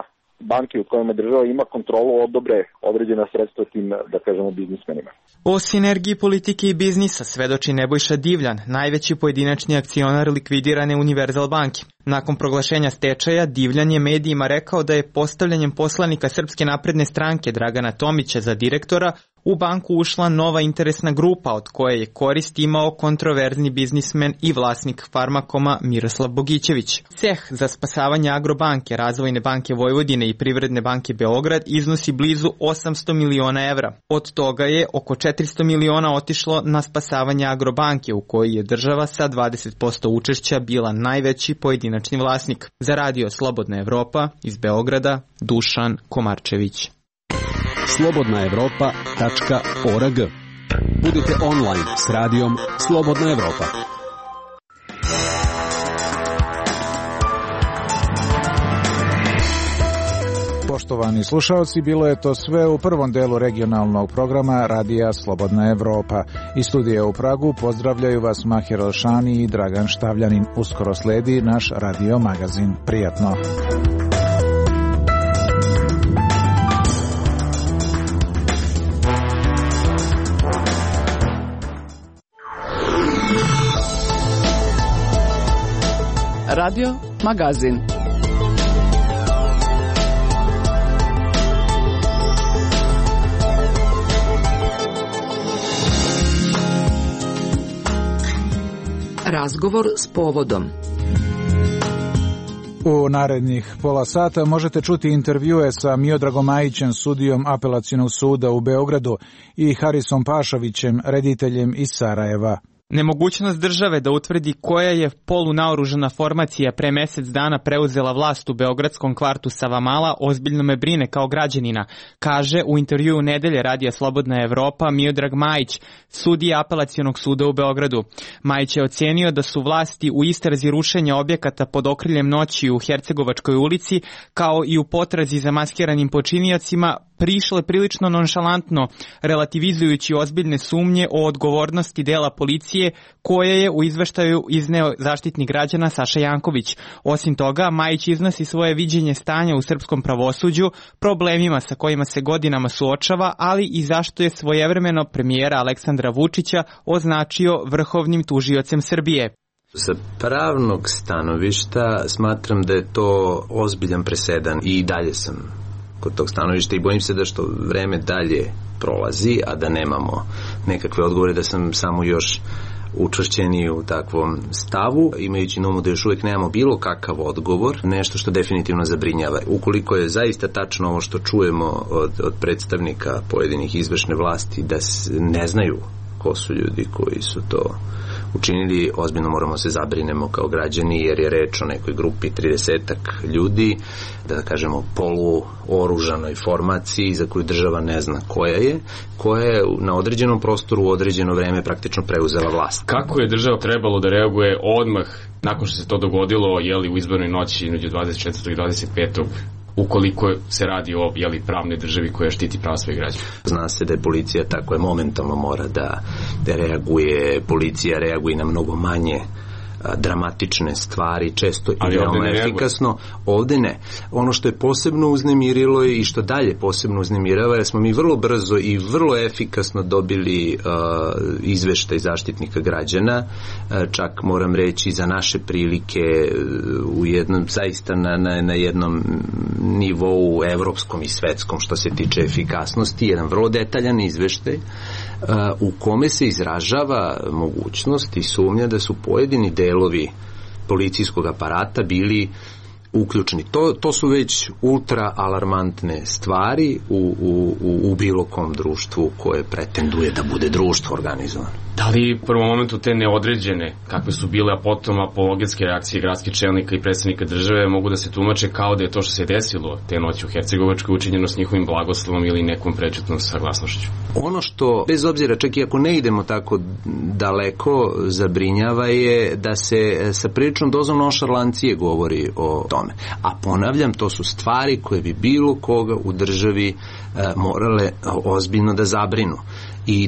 banke u kojima država ima kontrolu odobre određena sredstva tim, da kažemo, biznismenima. O sinergiji politike i biznisa svedoči Nebojša Divljan, najveći pojedinačni akcionar likvidirane Univerzal banke. Nakon proglašenja stečaja, Divljan je medijima rekao da je postavljanjem poslanika Srpske napredne stranke Dragana Tomića za direktora U banku ušla nova interesna grupa od koje je korist imao kontroverzni biznismen i vlasnik Farmakoma Miroslav Bogićević. Ceh za spasavanje Agrobanke, Razvojne banke Vojvodine i Privredne banke Beograd iznosi blizu 800 miliona evra. Od toga je oko 400 miliona otišlo na spasavanje Agrobanke, u kojoj je država sa 20% učešća bila najveći pojedinačni vlasnik. Za radio Slobodna Evropa iz Beograda, Dušan Komarčević. slobodnaevropa.org. Budite online s radijom Slobodna Evropa. Poštovani slušalci, bilo je to sve u prvom delu regionalnog programa Radija Slobodna Evropa. Iz studija u Pragu pozdravljaju vas Mahir Elšani i Dragan Štavljanin. Uskoro sledi naš radio magazin. Prijatno! Radio magazin. Razgovor s povodom. U narednih pola sata možete čuti intervjue sa Miodragom Majićem, sudijom Apelacionog suda u Beogradu, i Harisom Pašovićem, rediteljem iz Sarajeva. Nemogućnost države da utvrdi koja je polunaoružana formacija pre mesec dana preuzela vlast u beogradskom kvartu Savamala ozbiljno me brine kao građanina, kaže u intervjuu Nedelje Radija Slobodna Evropa Miodrag Majić, sudija Apelacionog suda u Beogradu. Majić je ocenio da su vlasti u istrazi rušenja objekata pod okriljem noći u Hercegovačkoj ulici, kao i u potrazi za maskiranim počiniocima, prišle prilično nonšalantno, relativizujući ozbiljne sumnje o odgovornosti dela policije koje je u izveštaju izneo Zaštitnik građana Saša Janković. Osim toga, Majić iznosi svoje viđenje stanja u srpskom pravosuđu, problemima sa kojima se godinama suočava, ali i zašto je svojevremeno premijera Aleksandra Vučića označio vrhovnim tužiocem Srbije. Sa pravnog stanovišta smatram da je to ozbiljan presedan i dalje sam kod tog stanovišta i bojim se da što vreme dalje prolazi, a da nemamo nekakve odgovore, da sam samo još učvršćeni u takvom stavu, imajući na umu da još uvijek nemamo bilo kakav odgovor, nešto što definitivno zabrinjava. Ukoliko je zaista tačno ovo što čujemo od predstavnika pojedinih izvršne vlasti, da ne znaju ko su ljudi koji su to učinili, ozbiljno moramo se zabrinemo kao građani, jer je reč o nekoj grupi 30-ak ljudi, da kažemo poluoružanoj formaciji za koju država ne zna koja je na određenom prostoru u određeno vreme praktično preuzela vlast. Kako je država trebalo da reaguje odmah nakon što se to dogodilo, u izbornoj noći između 24. i 25. ukoliko se radi o pravnoj državi koja štiti prava svojih građana? Zna se da je policija tako je momentalno mora da reaguje, policija reaguje na mnogo manje dramatične stvari, često i veoma efikasno. Ovde ne. Ono što je posebno uznemirilo i što dalje posebno uznemirava je smo mi vrlo brzo i vrlo efikasno dobili izveštaj Zaštitnika građana, čak moram reći za naše prilike u jednom, zaista na jednom nivou evropskom i svetskom što se tiče efikasnosti, jedan vrlo detaljan izveštaj u kome se izražava mogućnost i sumnja da su pojedini delovi policijskog aparata bili uključeni. To su već ultra alarmantne stvari u bilo kom društvu koje pretenduje da bude društvo organizovano. Da li u prvom momentu te neodređene, kakve su bile, a potom apologetske reakcije gradskih čelnika i predstavnika države mogu da se tumače kao da je to što se desilo te noći u Hercegovačkoj učinjeno s njihovim blagoslovom ili nekom prečutnom saglasnošću? Ono što, bez obzira, čak i ako ne idemo tako daleko, zabrinjava je da se sa priličnom dozom nonšalancije govori o tome. A ponavljam, to su stvari koje bi bilo koga u državi morale ozbiljno da zabrinu. i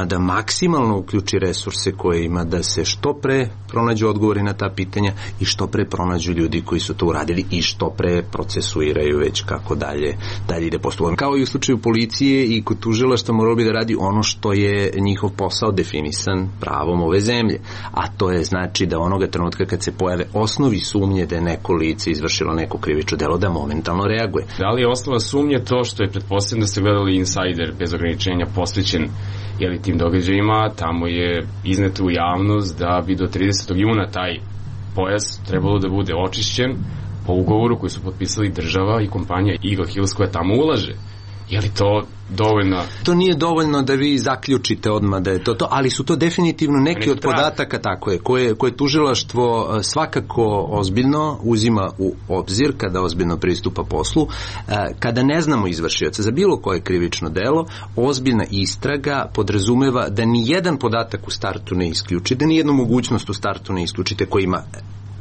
da maksimalno uključi resurse koje ima, da se što pre pronađu odgovori na ta pitanja i što pre pronađu ljudi koji su to uradili i što pre procesuiraju već kako dalje ide postupak. Kao i u slučaju policije i kod tužilaštva moralo bi da radi ono što je njihov posao definisan pravom ove zemlje, a to je znači da onoga trenutka kad se pojave osnovi sumnje da je neko lice izvršilo neko krivično delo, da momentalno reaguje. Da li je osnova sumnje to što je pretpostavljeno da ste gledali Insider bez ograničenja posvećen tim događajima, tamo je izneto u javnost da bi do 30. juna taj pojas trebalo da bude očišćen po ugovoru koji su potpisali država i kompanija Eagle Hills koja tamo ulaže. Je li to dovoljno? To nije dovoljno da vi zaključite odmah da je to, ali su to definitivno neki od podataka, tako je, koje tužilaštvo svakako ozbiljno uzima u obzir kada ozbiljno pristupa poslu. Kada ne znamo izvršioca za bilo koje krivično delo, ozbiljna istraga podrazumeva da ni jedan podatak u startu ne isključi, da ni jednu mogućnost u startu ne isključite koji ima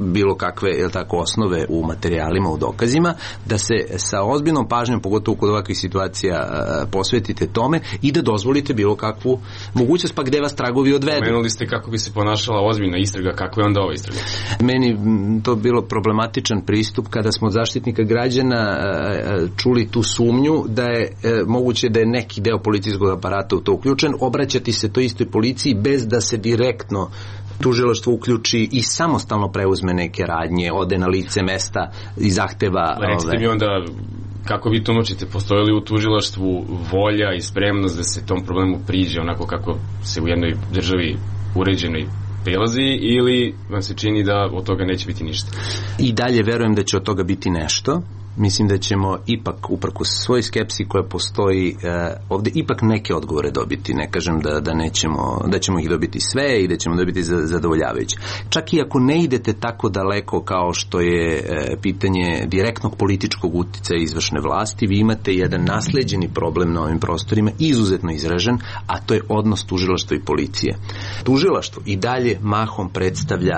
bilo kakve osnove u materijalima, u dokazima, da se sa ozbiljnom pažnjom, pogotovo kod ovakvih situacija, posvetite tome i da dozvolite bilo kakvu mogućnost, pa gde vas tragovi odvedu. Pomenuli ste kako bi se ponašala ozbiljna istraga, kako je onda ova istraga? Meni to bilo problematičan pristup kada smo od Zaštitnika građana čuli tu sumnju da je moguće da je neki deo policijskog aparata u to uključen, obraćati se to istoj policiji bez da se direktno tužilaštvo uključi i samostalno preuzme neke radnje, ode na lice mesta i zahteva... Recite mi onda, kako vi tumačite, postoji li u tužilaštvu volja i spremnost da se tom problemu priđe onako kako se u jednoj državi uređenoj prilazi, ili vam se čini da od toga neće biti ništa? I dalje verujem da će od toga biti nešto. Mislim da ćemo ipak, uprkos svoj skepsi koja postoji, ovde ipak neke odgovore dobiti. Ne kažem da ćemo ih dobiti sve i da ćemo dobiti zadovoljavajuće. Čak i ako ne idete tako daleko kao što je pitanje direktnog političkog uticaja izvršne vlasti, vi imate jedan nasleđeni problem na ovim prostorima, izuzetno izražen, a to je odnos tužilaštva i policije. Tužilaštvo i dalje mahom predstavlja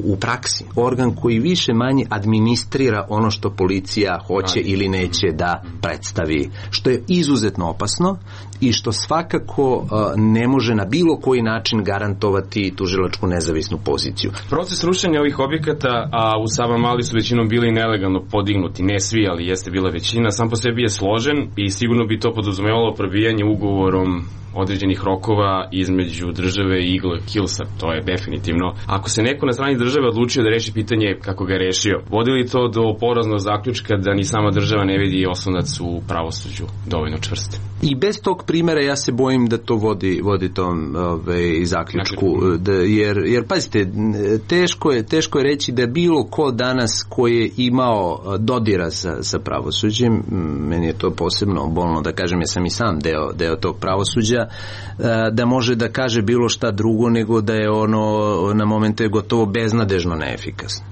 u praksi organ koji više manje administrira ono što policija hoće ili neće da predstavi, što je izuzetno opasno i što svakako ne može na bilo koji način garantovati tužilačku nezavisnu poziciju. Proces rušenja ovih objekata, a u Savamali su većinom bili nelegalno podignuti, ne svi, ali jeste bila većina, sam po sebi je složen i sigurno bi to podrazumevalo probijanje ugovorom određenih rokova između države i Eagle Hillsa, to je definitivno. Ako se neko na strani države odlučio da reši pitanje kako ga je rešio, vodi li to do poraznog zaključka da ni sama država ne vidi oslonac u pravosuđu dovoljno čvrste? I bez tog primjera ja se bojim da to vodi tom zaključku, jer pazite, teško je reći da bilo ko danas koji je imao dodira sa pravosuđem, meni je to posebno bolno da kažem, ja sam i sam deo tog pravosuđa, da može da kaže bilo šta drugo nego da je ono na momente gotovo beznadežno neefikasno.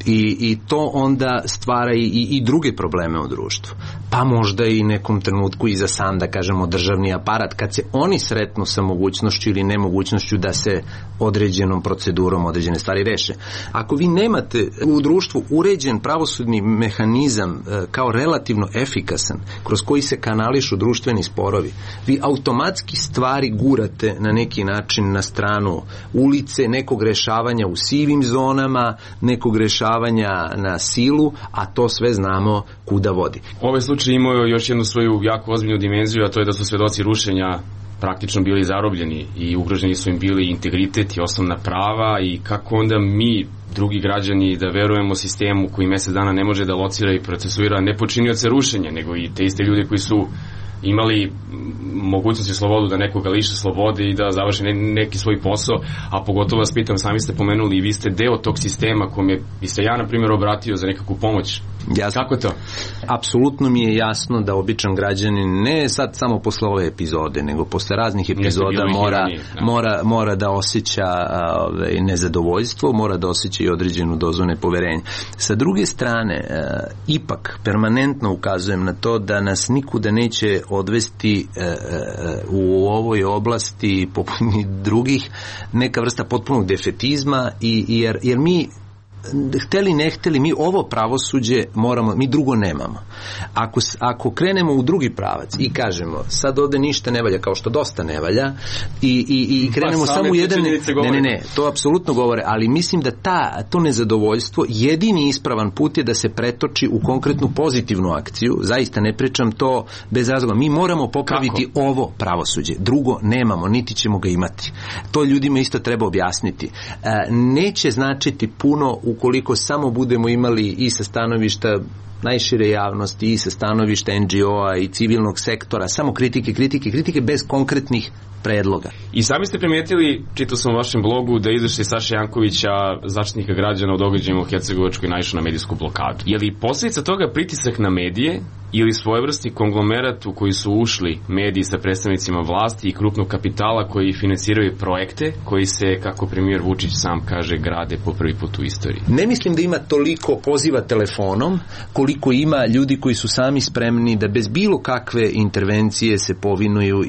I to onda stvara i druge probleme u društvu. Pa možda i nekom trenutku i za sam, da kažemo, državni aparat, kad se oni sretnu sa mogućnošću ili nemogućnošću da se određenom procedurom određene stvari reše. Ako vi nemate u društvu uređen pravosudni mehanizam kao relativno efikasan, kroz koji se kanališu društveni sporovi, vi automatski stvari gurate na neki način na stranu ulice, nekog rešavanja u sivim zonama, nekog rešavanja na silu, a to sve znamo kuda vodi. Ovaj slučaj imao još jednu svoju jako ozbiljnu dimenziju, a to je da su svedoci rušenja praktično bili zarobljeni i ugroženi su im bili integritet i osnovna prava, i kako onda mi, drugi građani, da verujemo sistemu koji mesec dana ne može da locira i procesuira ne počinioce rušenja, nego i te iste ljude koji su imali mogućnost i slobodu da nekoga liše slobode i da završi neki svoj posao, a pogotovo vas pitam, sami ste pomenuli i vi ste deo tog sistema kome biste ja, na primjer, obratio za nekakvu pomoć. Jasno. Kako to? Apsolutno mi je jasno da običan građanin, ne sad samo posle ove epizode, nego posle raznih epizoda mora da osjeća nezadovoljstvo, mora da osjeća i određenu dozu nepoverenja. Sa druge strane, ipak permanentno ukazujem na to da nas nikuda neće odvesti u ovoj oblasti poput drugih neka vrsta potpunog defetizma, jer mi hteli ne hteli, mi ovo pravosuđe moramo, mi drugo nemamo. Ako krenemo u drugi pravac i kažemo sad ovde ništa ne valja, kao što dosta ne valja, i krenemo samo u jedan... Ne, to apsolutno govore, ali mislim da to nezadovoljstvo, jedini ispravan put je da se pretoči u konkretnu pozitivnu akciju. Zaista ne pričam to bez razloga. Mi moramo popraviti ovo pravosuđe. Drugo nemamo, niti ćemo ga imati. To ljudima isto treba objasniti. Neće značiti puno ukoliko samo budemo imali i sa stanovišta najšire javnosti i sa stanovišta NGO-a i civilnog sektora, samo kritike bez konkretnih predloga. I sami ste primetili, čitao sam u vašem blogu, da izveštaj Saše Jankovića, Zaštitnika građana o događajima u Hercegovačkoj, naišao na medijsku blokadu. Je li posljedica toga pritisak na medije ili svojevrsni konglomerat u koji su ušli mediji sa predstavnicima vlasti i krupnog kapitala koji finansiraju projekte koji se, kako premijer Vučić sam kaže, grade po prvi put u istoriji? Ne mislim da ima toliko poziva telefonom koliko ima ljudi koji su sami spremni da bez bilo kakve intervencije se povinuju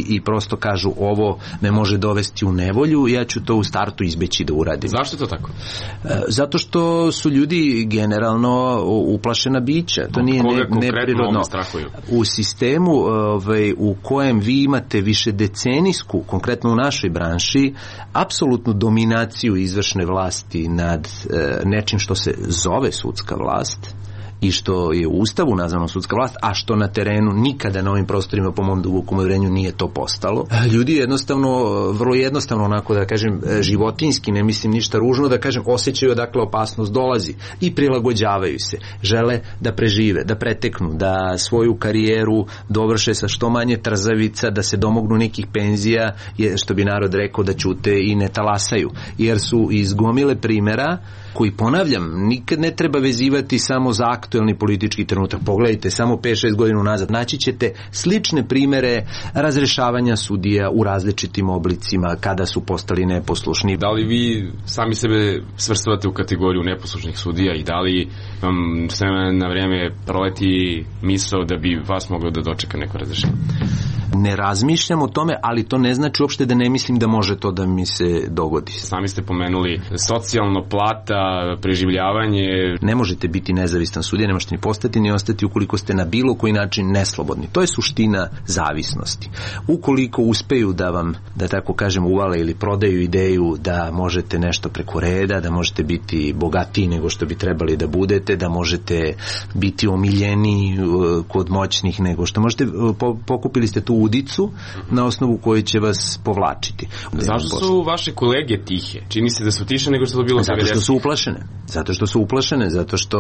i prosto kažu ovo me može dovesti u nevolju, ja ću to u startu izbeći da uradim. Zašto to tako? Zato što su ljudi generalno uplašena bića. To nije neprirodno. U sistemu u kojem vi imate višedecenijsku, konkretno u našoj branši, apsolutnu dominaciju izvršne vlasti nad nečim što se zove sudska vlast i što je u Ustavu nazvano sudska vlast, a što na terenu nikada na ovim prostorima po mom dubokom uvjerenju nije to postalo. Ljudi jednostavno, vrlo jednostavno, onako da kažem, životinjski, ne mislim ništa ružno, da kažem, osjećaju odakle opasnost dolazi i prilagođavaju se. Žele da prežive, da preteknu, da svoju karijeru dovrše sa što manje trzavica, da se domognu nekih penzija, što bi narod rekao, da ćute i ne talasaju. Jer su iz gomile primjera koji, ponavljam, nikad ne treba vezivati samo za aktuelni politički trenutak. Pogledajte, samo 5-6 godina nazad naći ćete slične primere razrešavanja sudija u različitim oblicima kada su postali neposlušni. Da li vi sami sebe svrstavate u kategoriju neposlušnih sudija i da li vam sve na vrijeme proleti misao da bi vas moglo da dočeka neko razrešenje? Ne razmišljam o tome, ali to ne znači uopšte da ne mislim da može to da mi se dogodi. Sami ste pomenuli socijalno, plata, preživljavanje. Ne možete biti nezavistan sudija, ne možete ni postati ni ostati ukoliko ste na bilo koji način neslobodni. To je suština zavisnosti. Ukoliko uspeju da vam, da tako kažem, uvale ili prodaju ideju da možete nešto preko reda, da možete biti bogatiji nego što bi trebali da budete, da možete biti omiljeniji kod moćnih nego što možete, pokupili ste tu udicu na osnovu koje će vas povlačiti. Zašto su vaše kolege tihe? Čini se da su tiše nego što to bilo 90. Zato što su uplašene. Zato što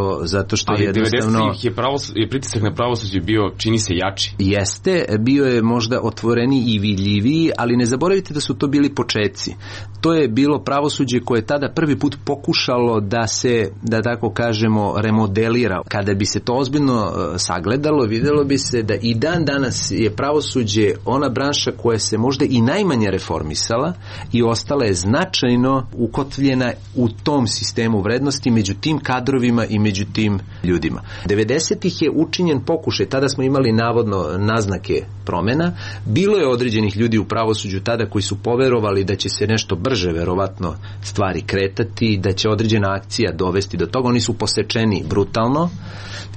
ali jednostavno... Ali 90-ih je pritisak na pravosuđe bio, čini se, jači. Jeste, bio je možda otvoreniji i vidljiviji, ali ne zaboravite da su to bili početci. To je bilo pravosuđe koje je tada prvi put pokušalo da se, da tako kažemo, remodelira. Kada bi se to ozbiljno sagledalo, vidjelo bi se da i dan danas je pravosuđe ona branša koja se možda i najmanje reformisala i ostala je značajno ukotvljena u tom sistemu vrednosti među tim kadrovima i među tim ljudima. 90-ih je učinjen pokušaj, tada smo imali navodno naznake promjena, bilo je određenih ljudi u pravosuđu tada koji su poverovali da će se nešto brže verovatno stvari kretati, da će određena akcija dovesti do toga, oni su posečeni brutalno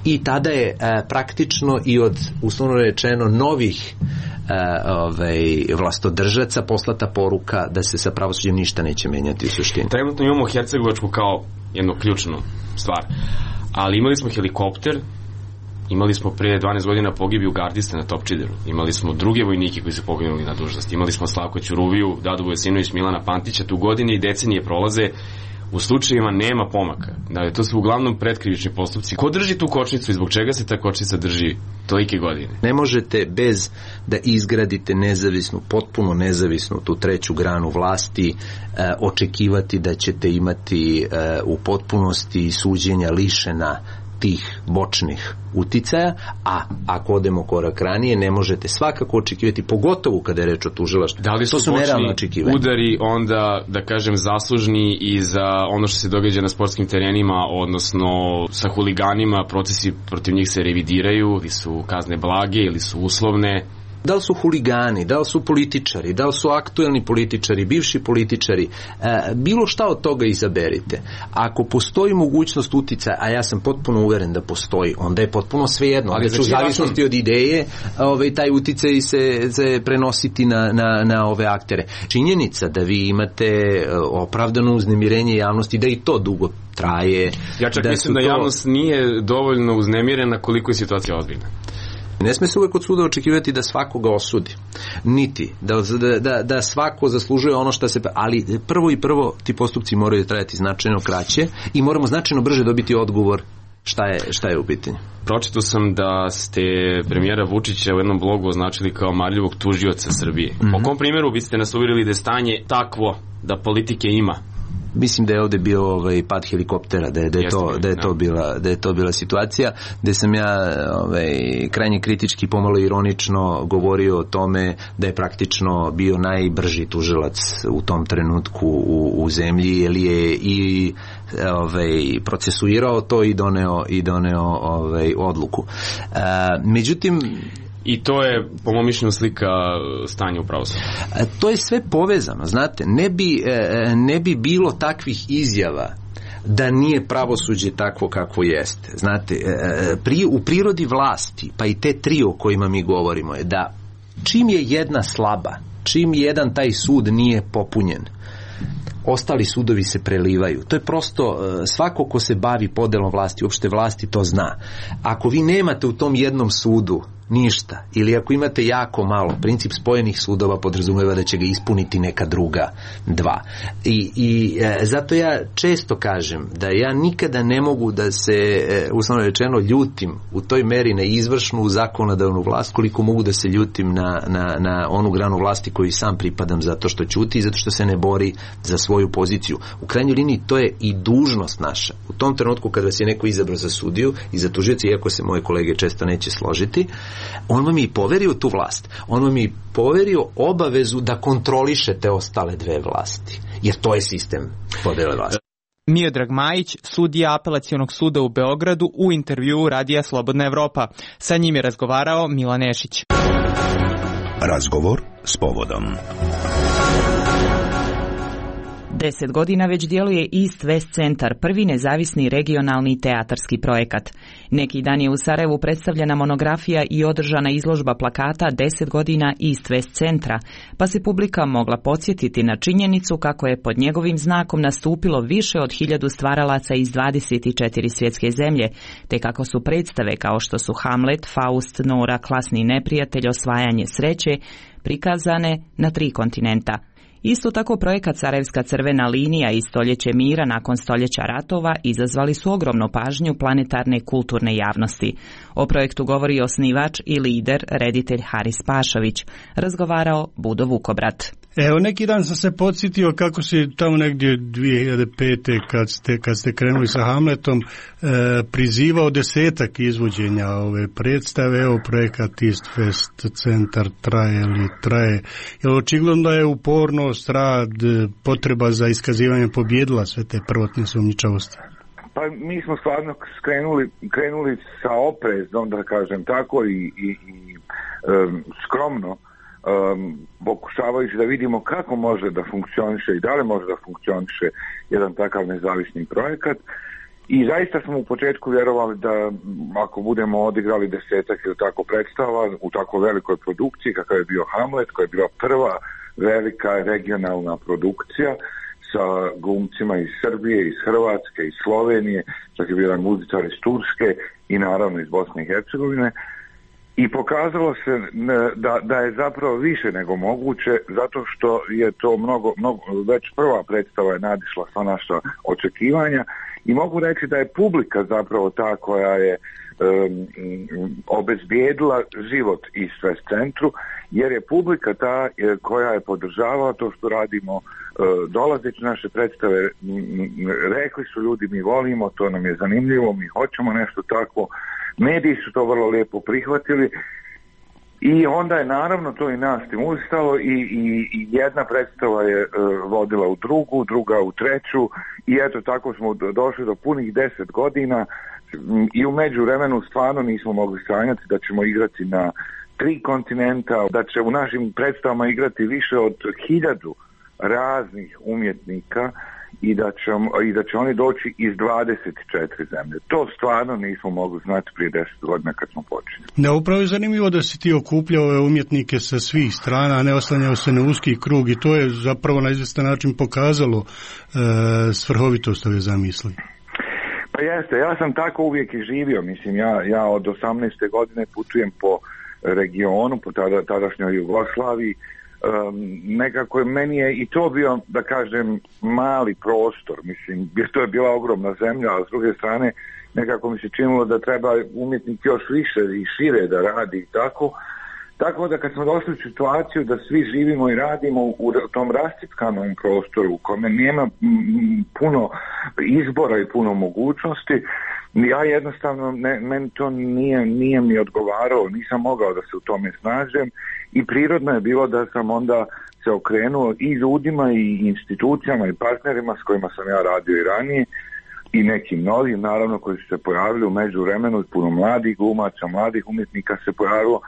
i tada je praktično i od, uslovno rečeno, novih vlastodržaca poslata poruka da se sa pravosuđem ništa neće menjati u suštini. Trenutno imamo Hercegovačku kao jednu ključnu stvar, ali imali smo helikopter, imali smo pre 12 godina pogibiju gardiste na Topčideru, imali smo druge vojnike koji su poginuli na dužnosti, imali smo Slavko Ćuruviju, Dadu Vojsinović, Milana Pantića, tu godine i decenije prolaze, u slučajevima nema pomaka. Dakle, to su uglavnom pretkrivični postupci. Ko drži tu kočnicu i zbog čega se ta kočnica drži tolike godine? Ne možete bez da izgradite nezavisnu, potpuno nezavisnu tu treću granu vlasti očekivati da ćete imati u potpunosti suđenja lišena tih bočnih uticaja, a ako odemo korak ranije, ne možete svakako očekivati, pogotovo kada je reč o tužilaštvu. Da li su bočni udari onda, da kažem, zaslužni i za ono što se događa na sportskim terenima, odnosno sa huliganima, procesi protiv njih se revidiraju, ili su kazne blage, ili su uslovne? Da li su huligani, da li su političari, da li su aktuelni političari, bivši političari, bilo šta od toga izaberite. Ako postoji mogućnost uticaja, a ja sam potpuno uveren da postoji, onda je potpuno svejedno. Ali u zavisnosti od ideje, taj uticaj se prenositi na ove aktere. Činjenica da vi imate opravdano uznemirenje javnosti, da i to dugo traje. Ja čak mislim da javnost nije dovoljno uznemirena koliko je situacija ozbiljna. Ne sme se uvek od suda očekivati da svakoga osudi, niti da svako zaslužuje ono što se... Ali prvo ti postupci moraju trajati značajno kraće i moramo značajno brže dobiti odgovor šta je u pitanju. Pročitao sam da ste premijera Vučića u jednom blogu označili kao marljivog tužioca Srbije. Po kom primjeru biste nas uvjerili da je stanje takvo da politike ima? Mislim da je ovde bio pad helikoptera, da je to bila situacija, gde sam ja krajnje kritički, pomalo ironično govorio o tome da je praktično bio najbrži tužilac u tom trenutku u zemlji, jer je i procesuirao to i doneo odluku. Međutim, i to je, po mom mišljenju, slika stanja u pravosuđu. To je sve povezano, znate, ne bi bilo takvih izjava da nije pravosuđe takvo kako jeste. Znate, u prirodi vlasti, pa i te tri o kojima mi govorimo, je da čim je jedna slaba, čim jedan taj sud nije popunjen, ostali sudovi se prelivaju. To je prosto, svako ko se bavi podelom vlasti, uopšte vlasti, to zna. Ako vi nemate u tom jednom sudu ništa, ili ako imate jako malo, princip spojenih sudova podrazumeva da će ga ispuniti neka druga dva. I zato ja često kažem da ja nikada ne mogu da se, uslovno rečeno, ljutim u toj meri na izvršnu zakonodavnu vlast, koliko mogu da se ljutim na onu granu vlasti koju sam pripadam, zato što ćuti i zato što se ne bori za svoju poziciju. U krajnjoj liniji to je i dužnost naša. U tom trenutku kada vas je neko izabrao za sudiju i za tužioca, iako se moje kolege često neće složiti, on vam je i poverio tu vlast. On vam je i poverio obavezu da kontrolišete ostale dve vlasti. Jer to je sistem podele vlasti. Miodrag Majić, sudija Apelacionog suda u Beogradu, u intervjuu Radija Slobodna Evropa. Sa njim je razgovarao Milan Nešić. Razgovor s povodom. 10 godina već djeluje East West centar, prvi nezavisni regionalni teatarski projekat. Neki dan je u Sarajevu predstavljena monografija i održana izložba plakata 10 godina East West centra, pa se publika mogla podsjetiti na činjenicu kako je pod njegovim znakom nastupilo više od 1000 stvaralaca iz 24 svjetske zemlje, te kako su predstave kao što su Hamlet, Faust, Nora, Klasni neprijatelj, Osvajanje sreće, prikazane na 3 kontinenta. Isto tako projekat Sarajevska crvena linija i Stoljeće mira nakon stoljeća ratova izazvali su ogromnu pažnju planetarne kulturne javnosti. O projektu govori osnivač i lider, reditelj Haris Pašović. Razgovarao Budo Vukobrat. Evo, neki dan sam se podsjetio kako si tamo negdje 2005. kad ste krenuli sa Hamletom prizivao 10 izvođenja ove predstave. Evo, projekat East West centar traje. Jer očigledno da je upornost, rad, potreba za iskazivanje pobjedila sve te prvotne sumnjičavosti. Pa mi smo stvarno krenuli sa oprezom, da kažem tako, i skromno, pokušavajući da vidimo kako može da funkcioniše i da li može da funkcioniše jedan takav nezavisni projekat. I zaista smo u početku vjerovali da ako budemo odigrali 10 ili tako predstava u tako velikoj produkciji kakav je bio Hamlet, koja je bila prva velika regionalna produkcija sa glumcima iz Srbije, iz Hrvatske, iz Slovenije, čak je bio jedan muzičar iz Turske i naravno iz Bosne i Hercegovine. I pokazalo se da je zapravo više nego moguće, zato što je to već prva predstava je nadišla sva naša očekivanja i mogu reći da je publika zapravo ta koja je obezbijedila život East West centru, jer je publika ta koja je podržavala to što radimo, dolazeći naše predstave, rekli su ljudi mi volimo, to nam je zanimljivo, mi hoćemo nešto takvo. Mediji su to vrlo lijepo prihvatili i onda je naravno to i nas stimulisalo i jedna predstava je vodila u drugu, druga u treću i eto tako smo došli do punih 10 godina i u međuvremenu stvarno nismo mogli sanjati da ćemo igrati na 3 kontinenta, da će u našim predstavama igrati više od 1000 raznih umjetnika i da će oni doći iz 24 zemlje. To stvarno nismo mogli znati prije 10 godina kad smo počeli. Da, upravo je zanimljivo da si ti okupljao ove umjetnike sa svih strana, a ne oslanjao se na uski krug, i to je zapravo na izvestan način pokazalo svrhovitost ove zamisli. Pa jeste, ja sam tako uvijek i živio, mislim, ja od 18. godine putujem po regionu, po tadašnjoj Jugoslaviji. Nekako meni je i to bio, da kažem, mali prostor, mislim, to je bila ogromna zemlja, a s druge strane nekako mi se činilo da treba umjetnik još više i šire da radi i tako da kad smo došli u situaciju da svi živimo i radimo u tom rascjepkanom prostoru u kome nema puno izbora i puno mogućnosti, ja jednostavno, meni to nije mi odgovarao, nisam mogao da se u tome snađem i prirodno je bilo da sam onda se okrenuo i ljudima i institucijama i partnerima s kojima sam ja radio i ranije i nekim novim, naravno, koji su se pojavili u međuvremenu, i puno mladih glumaca, mladih umjetnika se pojavilo.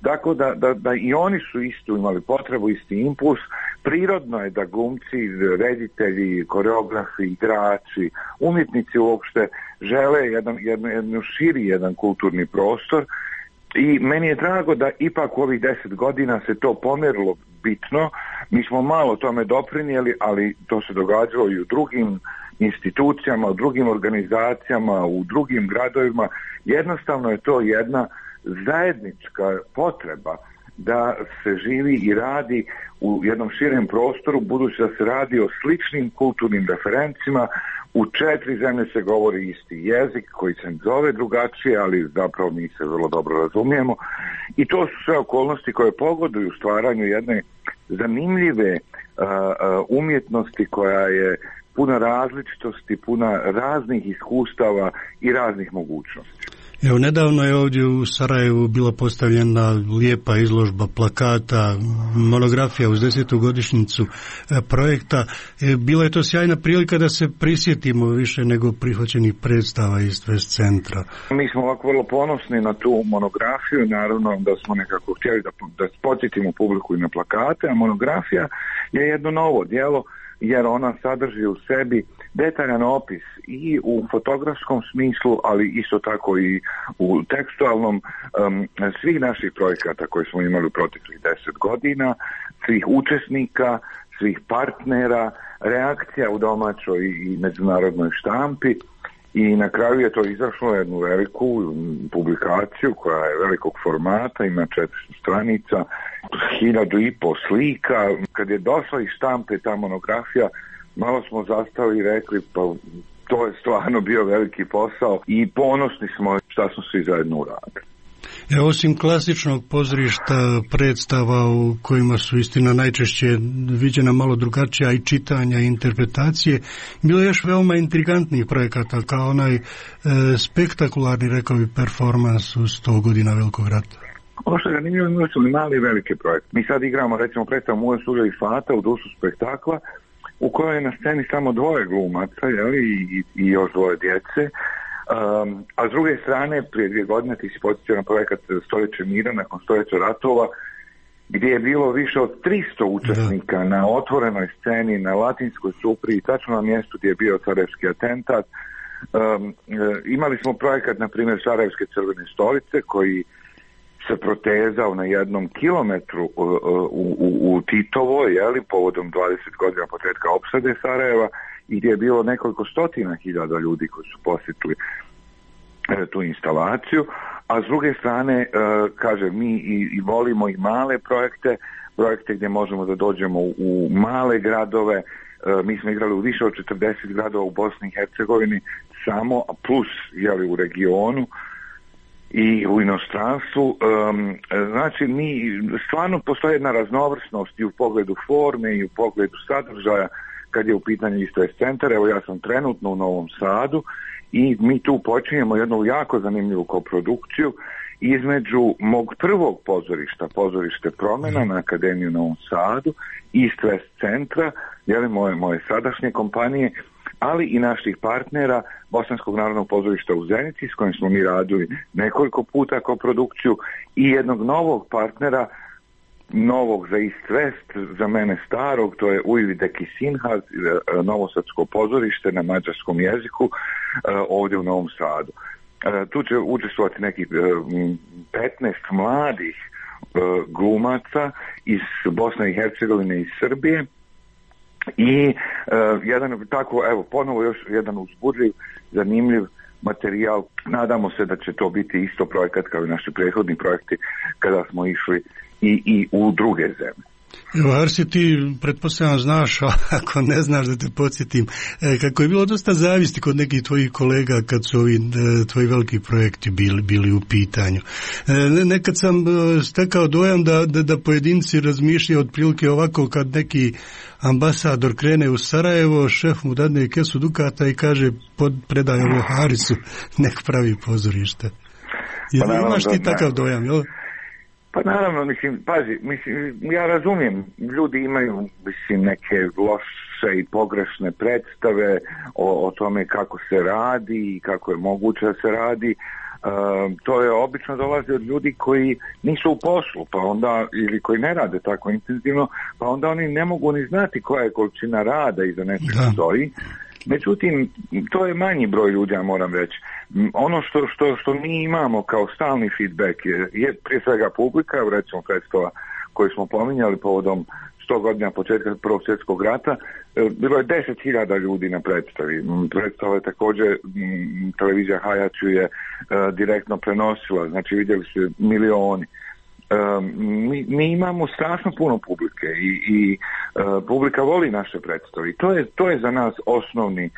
Tako da i oni su isto imali potrebu, isti impuls. Prirodno je da glumci, reditelji, koreografi, igrači, umjetnici uopšte žele jedan širi jedan kulturni prostor. I meni je drago da ipak u ovih 10 godina se to pomjerilo bitno. Mi smo malo tome doprinijeli, ali to se događalo i u drugim institucijama, u drugim organizacijama, u drugim gradovima. Jednostavno je to jedna zajednička potreba da se živi i radi u jednom širem prostoru, budući da se radi o sličnim kulturnim referencima. U 4 zemlje se govori isti jezik koji se zove drugačije, ali zapravo mi se vrlo dobro razumijemo. I to su sve okolnosti koje pogoduju stvaranju jedne zanimljive umjetnosti koja je puna različitosti, puna raznih iskustava i raznih mogućnosti. Evo, nedavno je ovdje u Sarajevu bila postavljena lijepa izložba plakata, monografija uz 10. godišnjicu projekta. Bila je to sjajna prilika da se prisjetimo više nego prihvaćenih predstava iz West centra. Mi smo ovako vrlo ponosni na tu monografiju, naravno da smo nekako htjeli da podsjetimo publiku i na plakate, a monografija je jedno novo djelo, jer ona sadrži u sebi detaljan opis i u fotografskom smislu, ali isto tako i u tekstualnom, svih naših projekata koje smo imali u proteklih 10 godina, svih učesnika, svih partnera, reakcija u domaćoj i međunarodnoj štampi. I na kraju je to izašlo jednu veliku publikaciju koja je velikog formata, ima 400 stranica, 1500 slika. Kad je došla iz štampe ta monografija, malo smo zastali i rekli, pa to je stvarno bio veliki posao i ponosni smo šta smo svi zajedno uradili. Osim klasičnog pozorišta, predstava u kojima su istina najčešće viđena malo drugačija i čitanja i interpretacije, bilo je još veoma intrigantnih projekata, kao onaj spektakularni, rekao bi, performans u 100 godina Velikog rata. Ovo što je zanimljivo, imali su mali i velike projekte. Mi sad igramo, recimo, predstavu Mujo Suljo i Fata u dušu spektakla, u kojoj je na sceni samo 2 glumaca, i još 2 djece. A s druge strane, prije 2 godine ti si podsjetio na projekat Stoljeće mira nakon stoljeća ratova, gdje je bilo više od 300 učesnika na otvorenoj sceni, na Latinskoj Supri, tačno na mjestu gdje je bio sarajevski atentat. Imali smo projekat, na primjer, Sarajevske crvene stolice, koji se protezao na 1 kilometru u Titovoj, povodom 20 godina početka opsade Sarajeva, i gdje je bilo nekoliko stotina hiljada ljudi koji su posjetili tu instalaciju. A s druge strane, kažem, mi i volimo i male projekte gdje možemo da dođemo u male gradove. Mi smo igrali u više od 40 gradova u Bosni i Hercegovini samo, plus u regionu i u inostranstvu. Znači, mi stvarno postoji jedna raznovrsnost i u pogledu forme i u pogledu sadržaja kad je u pitanju isto West centar. Evo, ja sam trenutno u Novom Sadu i mi tu počinjemo jednu jako zanimljivu koprodukciju između mog prvog pozorišta, pozorište Promena na Akademiju u Novom Sadu, East West centra, moje sadašnje kompanije. ali i naših partnera Bosanskog narodnog pozorišta u Zenici, s kojim smo mi radili nekoliko puta koprodukciju, i jednog novog partnera, novog za East West, za mene starog, to je Ujvideki Sinhaz, novosadsko pozorište na mađarskom jeziku, ovdje u Novom Sadu. Tu će učestvovati neki 15 mladih glumaca iz Bosne i Hercegovine i Srbije, i jedan tako, evo, ponovo još jedan uzbudljiv, zanimljiv materijal. Nadamo se da će to biti isto projekat kao i naši prethodni projekti kada smo išli i u druge zemlje. Evo, Arsi, ti pretpostavljam znaš, a ako ne znaš da te podsjetim, kako je bilo dosta zavisti kod nekih tvojih kolega kad su ovi tvoji veliki projekti bili u pitanju. Nekad sam stekao dojam da pojedinci razmišljaju otprilike ovako, kad neki ambasador krene u Sarajevo, šef mu dadne kesu dukata i kaže predaj ovo Harisu, nek pravi pozorište. Imaš ti takav dojam, jel? Pa naravno, ja razumijem, ljudi imaju, neke loše i pogrešne predstave o tome kako se radi i kako je moguće da se radi. To je obično dolazi od ljudi koji nisu u poslu, pa onda, ili koji ne rade tako intenzivno, pa onda oni ne mogu ni znati koja je količina rada iza nečega stoji. Međutim, to je manji broj ljudi, ja moram reći. Ono što mi imamo kao stalni feedback je prije svega publika, recimo predstava koju smo pominjali povodom 100 godina početka Prvog svjetskog rata, bilo je 10.000 ljudi na predstavi. Predstava je također, televizija Hajaču je direktno prenosila, znači vidjeli su milioni. Mi imamo strašno puno publike i publika voli naše predstave. To je za nas osnovni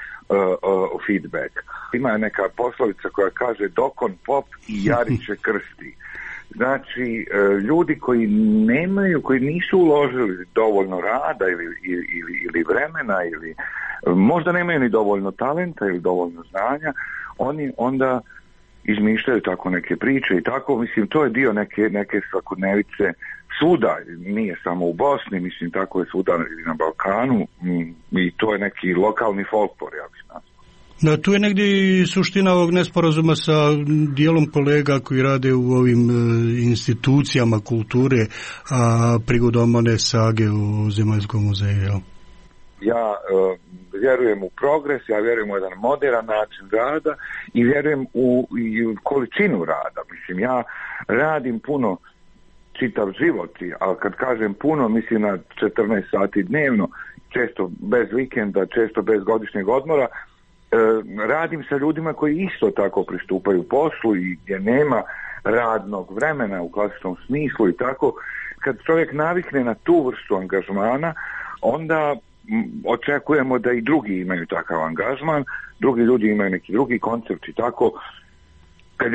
feedback. Ima neka poslovica koja kaže dokon pop i jariće krsti. Znači, ljudi koji nisu uložili dovoljno rada ili vremena, ili možda nemaju ni dovoljno talenta ili dovoljno znanja, oni onda izmišljaju tako neke priče i tako, to je dio neke svakodnevice svuda, nije samo u Bosni, tako je svuda i na Balkanu, i to je neki lokalni folklor, ja bih nazvao. Da, tu je negdje suština ovog nesporazuma sa dijelom kolega koji rade u ovim institucijama kulture, a prigodom one sage u Zemaljskom muzeju. Ja vjerujem u progres, ja vjerujem u jedan moderan način rada i vjerujem u količinu rada. Ja radim puno čitav život, ali kad kažem puno, mislim na 14 sati dnevno, često bez vikenda, često bez godišnjeg odmora. Radim sa ljudima koji isto tako pristupaju poslu i gdje nema radnog vremena u klasičnom smislu i tako. Kad čovjek navikne na tu vrstu angažmana, onda očekujemo da i drugi imaju takav angažman, drugi ljudi imaju neki drugi koncept i tako. Kad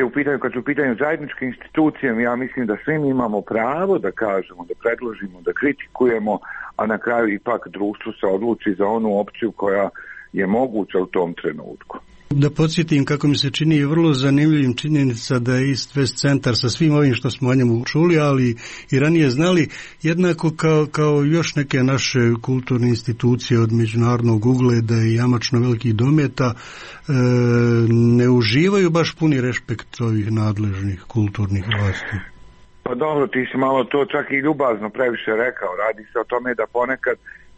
su u pitanju zajedničke institucije, ja mislim da svi mi imamo pravo da kažemo, da predložimo, da kritikujemo, a na kraju ipak društvo se odluči za onu opciju koja je moguća u tom trenutku. Da podsjetim kako mi se čini vrlo zanimljivim činjenica da je East West centar sa svim ovim što smo o njemu čuli, ali i ranije znali, jednako kao još neke naše kulturne institucije od međunarodnog ugleda i jamačno velikih dometa, ne uživaju baš puni respekt ovih nadležnih kulturnih vlasti. Pa dobro, ti si malo to čak i ljubazno previše rekao. Radi se o tome da ponekad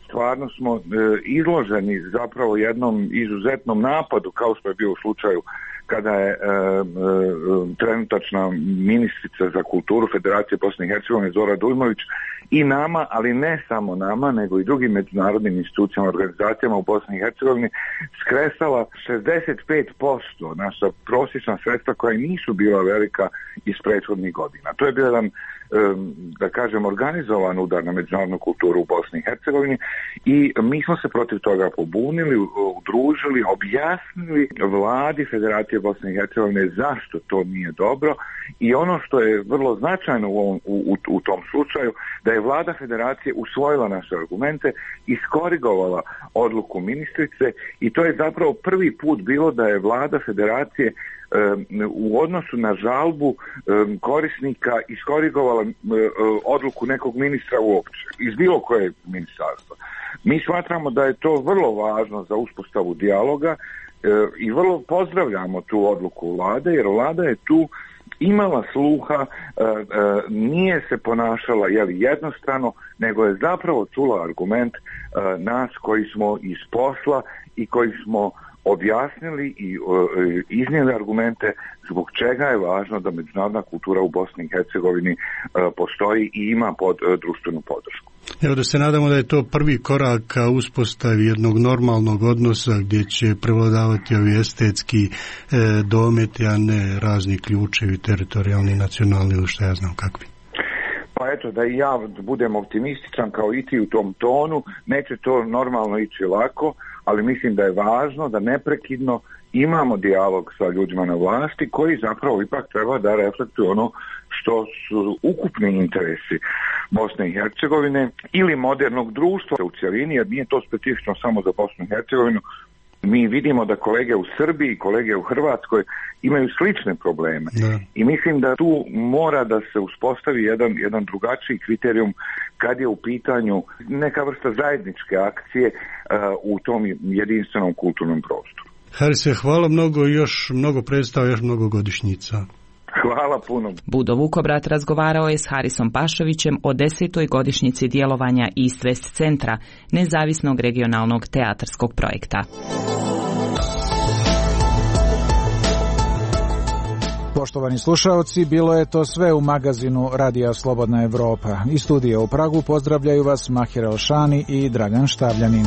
stvarno smo izloženi zapravo jednom izuzetnom napadu, kao što je bio u slučaju kada je trenutačna ministrica za kulturu Federacije Bosne i Hercegovine Zora Dujmović i nama, ali ne samo nama, nego i drugim međunarodnim institucijama, organizacijama u Bosni i Hercegovini skresala 65% naša prosječna sredstva koja nisu bila velika iz prethodnih godina. To je bio jedan, da kažem, organizovan udar na međunarodnu kulturu u Bosni i Hercegovini i mi smo se protiv toga pobunili, udružili, objasnili vladi Federacije Bosne i Hercegovine zašto to nije dobro i ono što je vrlo značajno u tom slučaju, da je vlada federacije usvojila naše argumente, iskorigovala odluku ministrice i to je zapravo prvi put bilo da je vlada federacije u odnosu na žalbu korisnika iskorigovala odluku nekog ministra uopće, iz bilo koje ministarstva. Mi smatramo da je to vrlo važno za uspostavu dijaloga i vrlo pozdravljamo tu odluku vlade, jer vlada je tu imala sluha, nije se ponašala jednostrano, nego je zapravo čula argument nas koji smo iz posla i koji smo objasnili i iznijeli argumente zbog čega je važno da međunarodna kultura u Bosni i Hercegovini postoji i ima društvenu podršku. Evo da se nadamo da je to prvi korak ka uspostavi jednog normalnog odnosa gdje će prevladavati ovi estetski dometi, a ne razni ključevi, teritorijalni, nacionalni ili što ja znam kakvi. Pa eto, da i ja budem optimističan kao i ti u tom tonu, neće to normalno ići lako, ali mislim da je važno da neprekidno imamo dijalog sa ljudima na vlasti koji zapravo ipak treba da reflektuju ono što su ukupni interesi Bosne i Hercegovine ili modernog društva u cjelini, jer nije to specifično samo za Bosnu i Hercegovinu. Mi vidimo da kolege u Srbiji i kolege u Hrvatskoj imaju slične probleme. I mislim da tu mora da se uspostavi jedan drugačiji kriterijum kad je u pitanju neka vrsta zajedničke akcije u tom jedinstvenom kulturnom prostoru. Harise, hvala mnogo, još mnogo predstava, još mnogo godišnjica. Hvala puno. Budo Vukobrat razgovarao je s Harisom Pašovićem o 10. godišnjici djelovanja East West centra, nezavisnog regionalnog teatarskog projekta. Poštovani slušaoci, bilo je to sve u magazinu Radija Slobodna Evropa. Iz studija u Pragu pozdravljaju vas Mahir Elšani i Dragan Štavljanin.